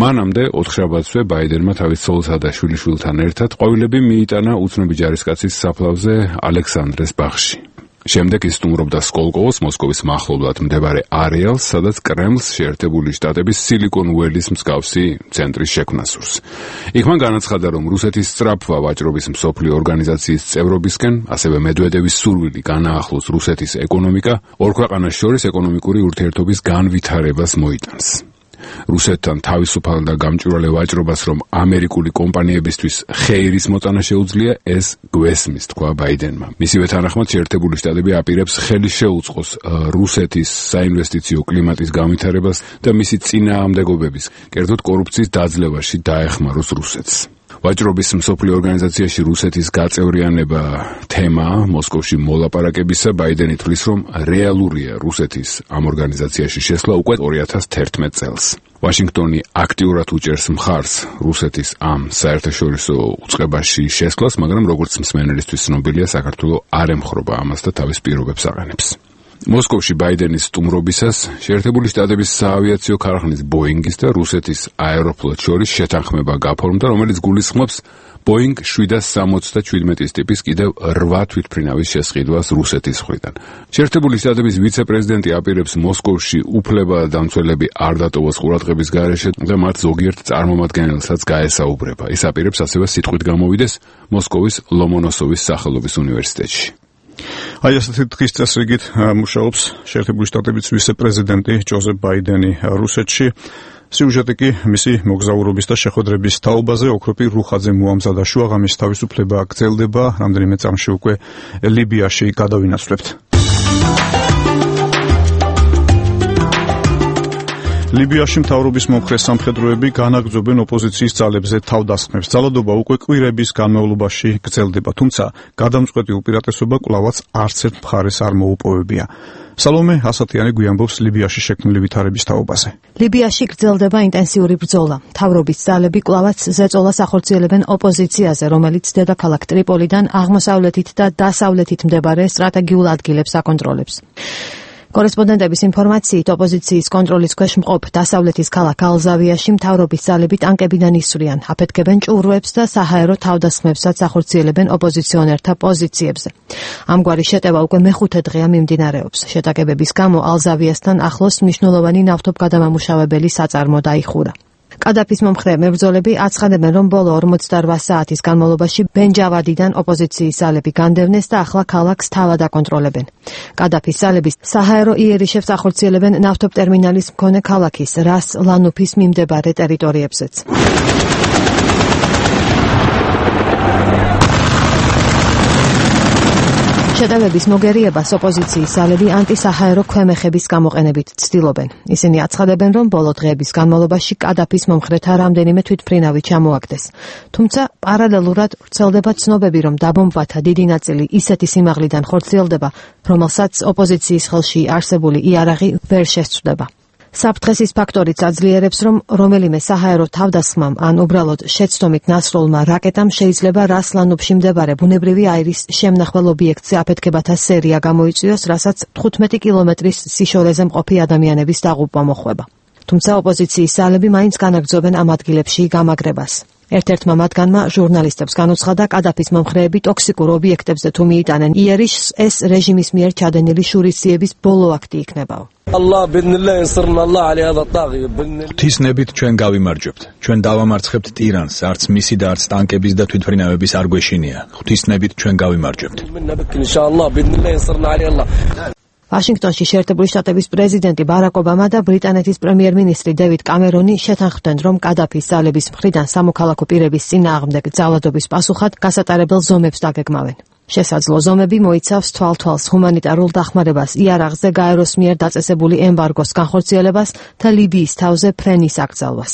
მანამდე ოთხშაბათსვე ბაიდენმა თავის ცოლსა და შვილიშვილთან ერთად ყვავილები მიიტანა უცნობი ჯარისკაცის საფლავზე ალექსანდრეს ბაღში. შემდეგ ის სტუმრობდა სკოლკოვოს, მოსკოვის მახლობლად მდებარე არეალს, სადაც კრემლს შეერთებული შტატების სილიკონ ველის მსგავსი ცენტრის შექმნა სურს. იქ მან განაცხადა, რომ რუსეთის სწრაფვა ვაჭრობის მსოფლიო ორგანიზაციის წევრობისკენ, ასევე მედვედევის სურვილი განაახლოს რუსეთის ეკონომიკა, ორ ქვეყანას შორის ეკონომიკური ურთიერთობის განვითარებას მოიტანს. რუსეთთან თავისუფალ და გამჭვირვალე ვაჭრობას, რომ ამერიკული კომპანიებისთვის ხეირის მოწანა შეუძლია, ეს გვესმის, თქვა ბაიდენმა. მისივე თანახმად შეერთებული შტატები აპირებს ხელი შეუწყოს რუსეთის საინვესტიციო კლიმატის განვითარებას და მისი წინააღმდეგობების, კერძოდ კორუფციის დაძლევაში დაეხმაროს რუსეთს. ვაჭრობის მსოფლიო ორგანიზაციაში რუსეთის გაწევრიანება თემა მოსკოვში მოლაპარაკებისა ბაიდენი თვლის, რომ რეალურია რუსეთის ამ ორგანიზაციაში შესვლა უკვე ორი ათას თერთმეტ წელს. ვაშინგტონი აქტიურად უჭერს მხარს რუსეთის ამ საერთაშორისო უწყებაში შესვლას, მაგრამ როგორც მსმენელისთვის ცნობილია, საქართველოს არ ემხრობა ამას და თავის პირობებს აყენებს. მოსკოვში ბაიდენის სტუმრობისას შეერთებული შტატების საავიაციო ქარხნის ბოინგის და რუსეთის აეროფლოტს შორის შეთანხმება გაფორმდა, რომელიც გულისხმობს ბოინგ შვიდას სამოცდა შვიდმეტის ტიპის კიდევ რვა თვითმფრინავის შესყიდვას რუსეთის მხრიდან. შეერთებული შტატების ვიცე-პრეზიდენტი აპირებს მოსკოვში უფლება-დამცველები არ დატოვოს ყურადღების გარეშე და მათ ზოგიერთ წარმომადგენელსაც გაესაუბრება. ის აპირებს ასევე სიტყვით გამოვიდეს მოსკოვის ლომონოსოვის სახელობის უნივერსიტეტში. აი ასეთი დღის წესრიგით მუშაობს შეერთებული შტატების ვიცე-პრეზიდენტი ჯოზეფ ბაიდენი რუსეთში. სიუჟეტი კი მისი მოგზაურობის და შეხვედრების თაობაზე. ოქროპი რუხაძე მოამზადა შუაღამის თავისუფლება გრძელდება, რამდენიმე წამში უკვე ლიბიაში გადავინაცვლებთ. ლიბიაში მთავრობის მომხრე სამხედროები განაგრძობენ ოპოზიციის ძალებზე თავდასხმებს. ძალადობა უკვე კვირების განმავლობაში გრძელდება, თუმცა გადამწყვეტი უპირატესობა კვლავაც არც ერთ მხარეს არ მოუპოვებია. სალომე ასათიანი გვიამბობს ლიბიაში შექმნილი ვითარების თაობაზე. ლიბიაში გრძელდება ინტენსიური ბრძოლა. მთავრობის ძალები კვლავაც ზეწოლას ახორციელებენ ოპოზიციაზე, რომელიც დედაქალაქ ტრიპოლიდან აღმოსავლეთით და დასავლეთით მდებარე სტრატეგიულ ადგილებს აკონტროლებს. კორესპონდენტების ინფორმაციით, ოპოზიციის კონტროლის ქვეშ მყოფ დასავლეთის ქალაქ ალზავიაში მთავრობის ძალები ტანკებიდან ისვრიან, აფეთქებენ ჭურვებს და საჰაერო თავდასხმებსაც ახორციელებენ ოპოზიციონერთა პოზიციებზე. ამგვარი შეტევა უკვე მეხუთე დღეა მიმდინარეობს. შეტაკებების გამო ალზავიასთან ახლოს მნიშვნელოვანი ნავთობგადამამუშავებელი საწარმო დაიხურა. კადაფის მომხრე მებრძოლები აცხადებენ, რომ ბოლო ორმოცდარვა საათის განმავლობაში ბენჯავადიდან ოპოზიციის ძალები განდევნეს და ახლა ქალაქს თავად აკონტროლებენ. კადაფის ძალები საჰაერო იერიშებს ახორციელებენ ნავთობტერმინალის მქონე ქალაქის რას ლანუფის მიმდებარე ტერიტორიებზეც. შეტევების მოგერიებას ოპოზიციის ძალები ანტისაჰაერო ქვემეხების გამოყენებით ცდილობენ. ისინი აცხადებენ, რომ ბოლო დღეების განმავლობაში კადაფის მომხრეთა რამდენიმე თვითმფრინავი ჩამოაგდეს. თუმცა პარალელურად ვრცელდება ცნობები, რომ დაბომბვათა დიდი ნაწილი ისეთი სიმაღლიდან ხორციელდება, რომელსაც ოპოზიციის ხელში არსებული იარაღი ვერ შესწვდება. საფრთხეს ის ფაქტორიც აძლიერებს, რომ რომელიმე საჰაერო თავდასხმამ ან უბრალოდ შეცდომით ნასროლმა რაკეტამ შეიძლება რასლანუფში მდებარე ბუნებრივი აირის შემნახვალ ობიექტზე აფეთქებათა სერია გამოიწვიოს, რასაც თხუთმეტი კილომეტრის სიშორეზე მყოფი ადამიანების დაღუპვა მოხვება. თუმცა ოპოზიციის ძალები მაინც განაგრძობენ ამ ადგილებში გამაგრებას. ერთ-ერთმა მათგანმა ჟურნალისტებს განუცხადა, კადაფის მომხრეები ტოქსიკურ ობიექტებზე თუ მიიტანენ იერიშს, ეს რეჟიმის მიერ ჩადენილი შურისძიების ბოლო აქტი იქნებაო. ღვთისნებით ჩვენ გავიმარჯვებთ. ჩვენ დავამარცხებთ ტირანს, არც მისი და არც ტანკების და თვითმფრინავების არ გვეშინია. ღვთისნებით ჩვენ გავიმარჯვებთ. ვაშინგტონში შეერთებული შტატების პრეზიდენტი ბარაკ ობამა და ბრიტანეთის პრემიერ-მინისტრი დევიდ კამერონი შეთანხმდნენ, რომ კადაფის ძალების მხრიდან სამოქალაქო პირების წინააღმდეგ ძალადობის პასუხად გასატარებელ ზომებს დაგეგმავენ. შესაძლო ზომები მოიცავს თვალთვალს ჰუმანიტარულ დახმარებას, იარაღზე გაეროს მიერ დაწესებული ემბარგოს განხორციელებას და ლიბიის თავზე ფრენის აკრძალვას.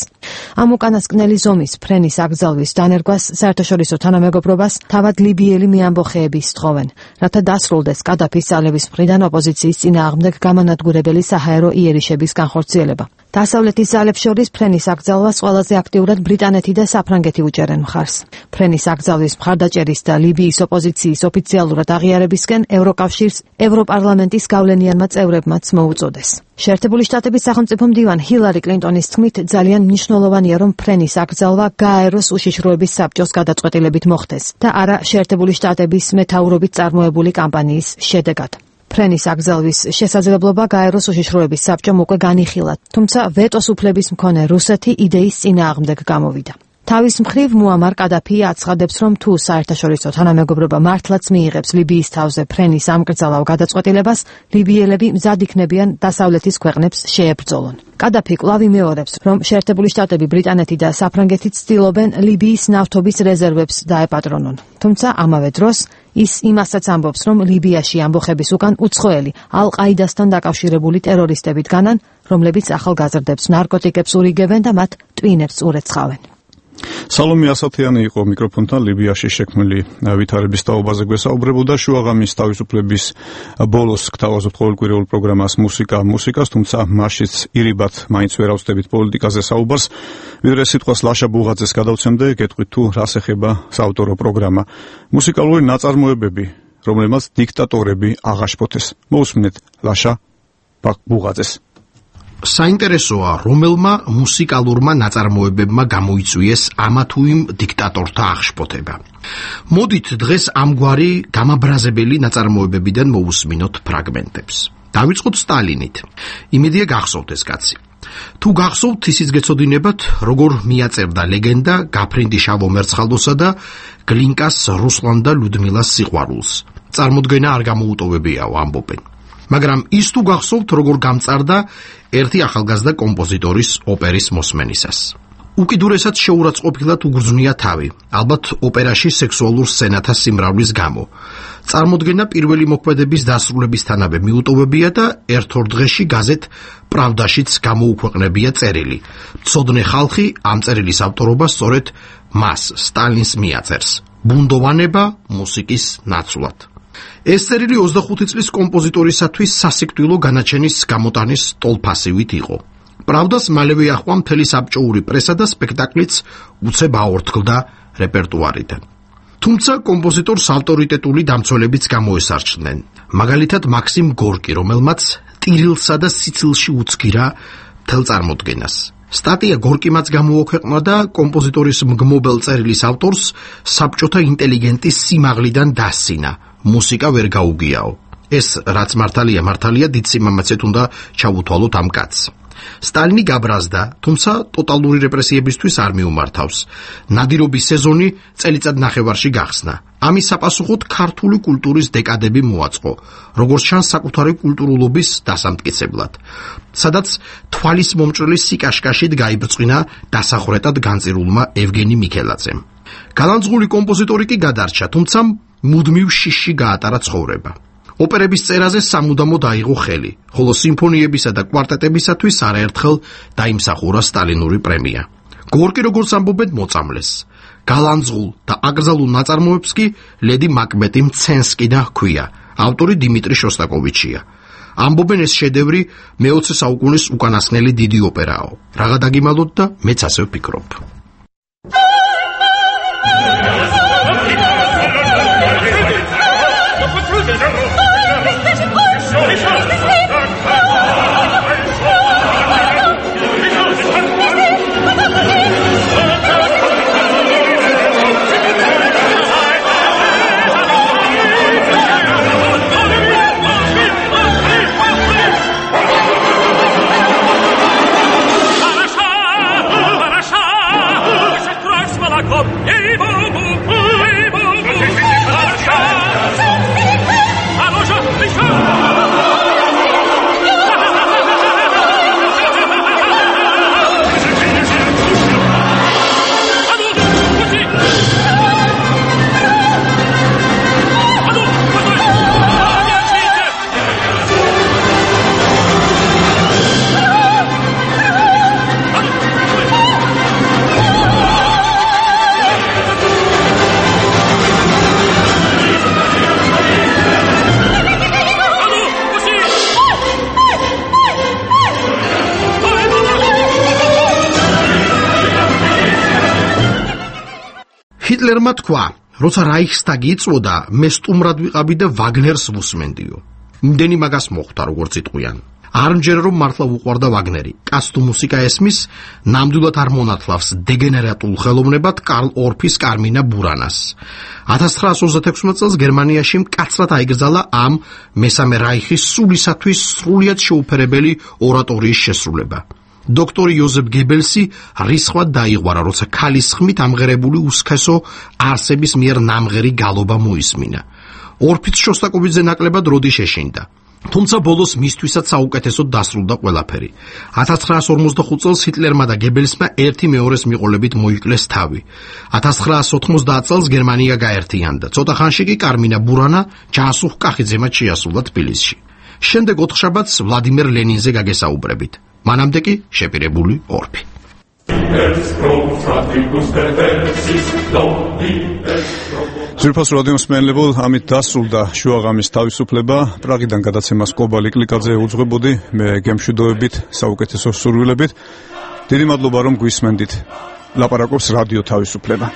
ამ უკანასკნელი ზომის ფრენის აკრძალვის დანერგვას საერთაშორისო თანამეგობრობას თავად ლიბიელი მეამბოხეები სთხოვენ, რათა დასრულდეს კადაფის ძალების მხრიდან ოპოზიციის წინააღმდეგ გამანადგურებელი საჰაერო იერიშების განხორციელება. დასავლეთის ძალებს შორის ფრენის აკრძალვას ყველაზე აქტიურად ბრიტანეთი და საფრანგეთი უჭერენ მხარს. ფრენის აკრძალვის მხარდაჭერის და ლიბიის ოპოზიციის ოფიციალურად აღიარებისკენ ევროკავშირს ევროპარლამენტის გავლენიანმა წევრებმაც მოუწოდეს. შეერთებული შტატების სახელმწიფო მდივან ჰილარი კლინტონის თქმით, ძალიან მნიშვნელოვანია, რომ ფრენის აკრძალვა გააეროს უშიშროების საბჭოს გადაწყვეტილებით მოხდეს და არა შეერთებული შტატების მეთაურობით წარმოებული კამპანიის შედეგად. ფრენის აკრძალვის შესაძლებლობა გაეროს უშიშროების საბჭომ უკვე განიხილა, თუმცა ვეტოს უფლების მქონე რუსეთი იდეის წინააღმდეგ გამოვიდა. თავის მხრივ მუამარ კადაფი აცხადებს, რომ თუ საერთაშორისო თანამეგობრობა მართლაც მიიღებს ლიბიის თავზე ფრენის ამკრძალავ გადაწყვეტილებას, ლიბიელები მზად იქნებიან დასავლეთის ქვეყნებს შეებრძოლონ. კადაფი კვლავ იმეორებს, რომ შეერთებული შტატები, ბრიტანეთი და საფრანგეთი ცდილობენ ლიბიის ნავთობის რეზერვებს დაეპატრონონ. თუმცა ამავე დროს ის იმასაც ამბობს, რომ ლიბიაში ამბოხების უკან უცხოელი ალ-ყაიდასთან დაკავშირებული ტერორისტები დგანან, რომლებიც ახალგაზრდებს ნარკოტიკებს ურიგებენ და მათ ტვინებს ურეცხავენ. სალომე ასათიანი იყო მიკროფონთან ლიბიაში შექმნილი ვითარების თაობაზე გვესაუბრებოდა. შუაღამის თავისუფლების ბოლოს გთავაზობთ ყოველკვირეულ პროგრამას მუსიკა მუსიკას, თუმცა მასშიც ირიბად მაინც ვერ ავწდებით პოლიტიკაზე საუბარს. ვიდრე სიტყვას ლაშა ბუღაძეს გადავცემდე, გეტყვით თუ რას ეხება საავტორო პროგრამა. მუსიკალური ნაწარმოებები, რომლებმაც დიქტატორები აღაშფოთეს. მოусმინეთ ლაშა ბუღაძეს. საინტერესოა, რომელმა მუსიკალურმა ნაწარმოებებმა გამოიწვიეს ამა თუ იმ დიქტატორთა აღშფოთება. მოდით დღეს ამგვარი გამაბრაზებელი ნაწარმოებებიდან მოусმინოთ ფრაგმენტებს. დავიწყოთ სტალინით. იმედია გახსოვთ ეს კაცი. თუ გახსოვთ, ისიც გეცოდინებათ, როგორ მიაწერდა ლეგენდა გაფრინდი შავო მერცხალოსა და გლინკას რუსლან და ლუდმილას სიყვარულს. წარმოდგენა არ გამოუტოვებიაო, ამბობენ. მაგრამ ის თუ გახსოვთ, როგორ გამწარდა ერთი ახალგაზრდა კომპოზიტორის ოპერის მოსმენისას. უკიდურესად შეურაცხყოფილად უგრძნია თავი, ალბათ ოპერაში სექსუალურ სცენათა სიმრავლის გამო. წარმოდგენა პირველი მოქმედების დასრულებისთანავე მიუტოვებია და ერთ-ორ დღეში გაზეთ პრავდაშიც გამოუქვეყნებია წერილი. ცოდნე ხალხი ამ წერილის ავტორობას სწორედ მას, სტალინს მიაწერს. ბუნდოვანება მუსიკის ნაცვლად. ეს წერილი ოცდახუთი წლის კომპოზიტორისათვის სასიკვდილო განაჩენის გამოტანის ტოლფასივით იყო. პრავდას მალევე ახვა მთელი საბჭოური პრესა და სპექტაკლიც უცებ აორთქლდა რეპერტუარიდან. თუმცა კომპოზიტორს ავტორიტეტული დამცველებიც გამოესარჩნენ. მაგალითად მაქსიმ გორკი, რომელმაც ტირილსა და სიცილში უცგირა მთელ წარმოდგენას. სტატია გორკიმაც გამოუქვეყნა და კომპოზიტორის მგმობელ წერილის ავტორს საბჭოთა ინტელიგენტის სიმაღლიდან დასცინა. მუსიკა ვერ გაუგიაო. ეს რაც მართალია, მართალია დიდ სიმამაცეთ უნდა ჩაუთვალოთ ამ კაცს. სტალინი გაბრაზდა, თუმცა ტოტალური რეპრესიებისთვის არ მიუმართავს. ნადირობის სეზონი წელიწად ნახევარში გახსნა. ამის საპასუხოდ ქართული კულტურის დეკადები მოაწყო, როგორც ჩანს საკუთარი კულტურულობის დასამტკიცებლად. სადაც თვალის მომჭრელი სიკაშკაშით გაიბრწყინა დასახვრეტად განწირულმა ევგენი მიქელაძემ. გალანძღული კომპოზიტორი კი გადარჩა, თუმცა მუდმივ შიში გაატარა ცხოვრება. ოპერების წერაზე სამუდამოდ აიღო ხელი, ხოლო სიმფონიებისა და კვარტეტებისათვის არაერთხელ დაიმსახურა სტალინური პრემია. გორკი, როგორც ამბობენ, მოწამლეს. გალანძღულ და აკრძალულ ნაწარმოებს კი ლედი მაკბეტი მცენსკიდან ჰქვია. ავტორი დიმიტრი შოსტაკოვიჩია. ამბობენ, ეს შედევრი მეოცე საუკუნის უკანასკნელი დიდი ოპერაო. რაღა დაგიმალოთ და მეც ასე ვფიქრობ. ჰიტლერმა თქვა, როცა რაიხსტაგი იწვოდა, მე სტუმრად ვიყავი და ვაგნერს ვუსმენდიო. იმდენი მაგას მოხვდა, როგორც იტყვიან. არ მჯერა რომ მართლა უყვარდა ვაგნერი. კაც თუ მუსიკა ესმის, ნამდვილად არ მონათლავს დეგენერატულ ხელოვნებად კარლ ორფის კარმინა ბურანას. ათას ცხრაასი ოცდაექვსმეტ წელს გერმანიაში მკაცრად აიგრძალა ამ მესამე რაიხის სულისათვის სრულიად შეუფერებელი ორატორიის შესრულება. დოქტორი იოზეფ გებელსი რისხვად დაიღვარა, როცა ქალის ხმით ამღერებული უსქესო არსების მიერ ნამღერი გალობა მოისმინა. ორფიც შოსტაკოვიძე ნაკლებად როდი შეშინდა. თუმცა ბოლოს მისთვისაც საუკეთესოდ დასრულდა ყველაფერი. ათას ცხრაასი ორმოცდახუთ წელს ჰიტლერმა და გებელსმა ერთი მეორეს მიყოლებით მოიკლეს თავი. ათას ცხრაასი ოთხმოცდაათ წელს გერმანია გაერთიანდა. ცოტა ხანში კი კარმინა ბურანა ჯანსუღ კახიძემაც შეასრულა თბილისში. შემდეგ ოთხშაბათს ვლადიმერ ლენინზე გაგესაუბრებით. მანამდე კი შეპირებული ორფი. ძვირფას რადიოს მსმენელებო, ამით დასრულდა შუაღამის თავისუფლება. პრაღიდან გადაცემას კობა ლიკლიკაძე უძღვებოდი, მე გემშვიდობებით, საუკეთესო სურვილებით. დიდი მადლობა რომ გვისმენდით. ლაპარაკობს რადიო თავისუფლება.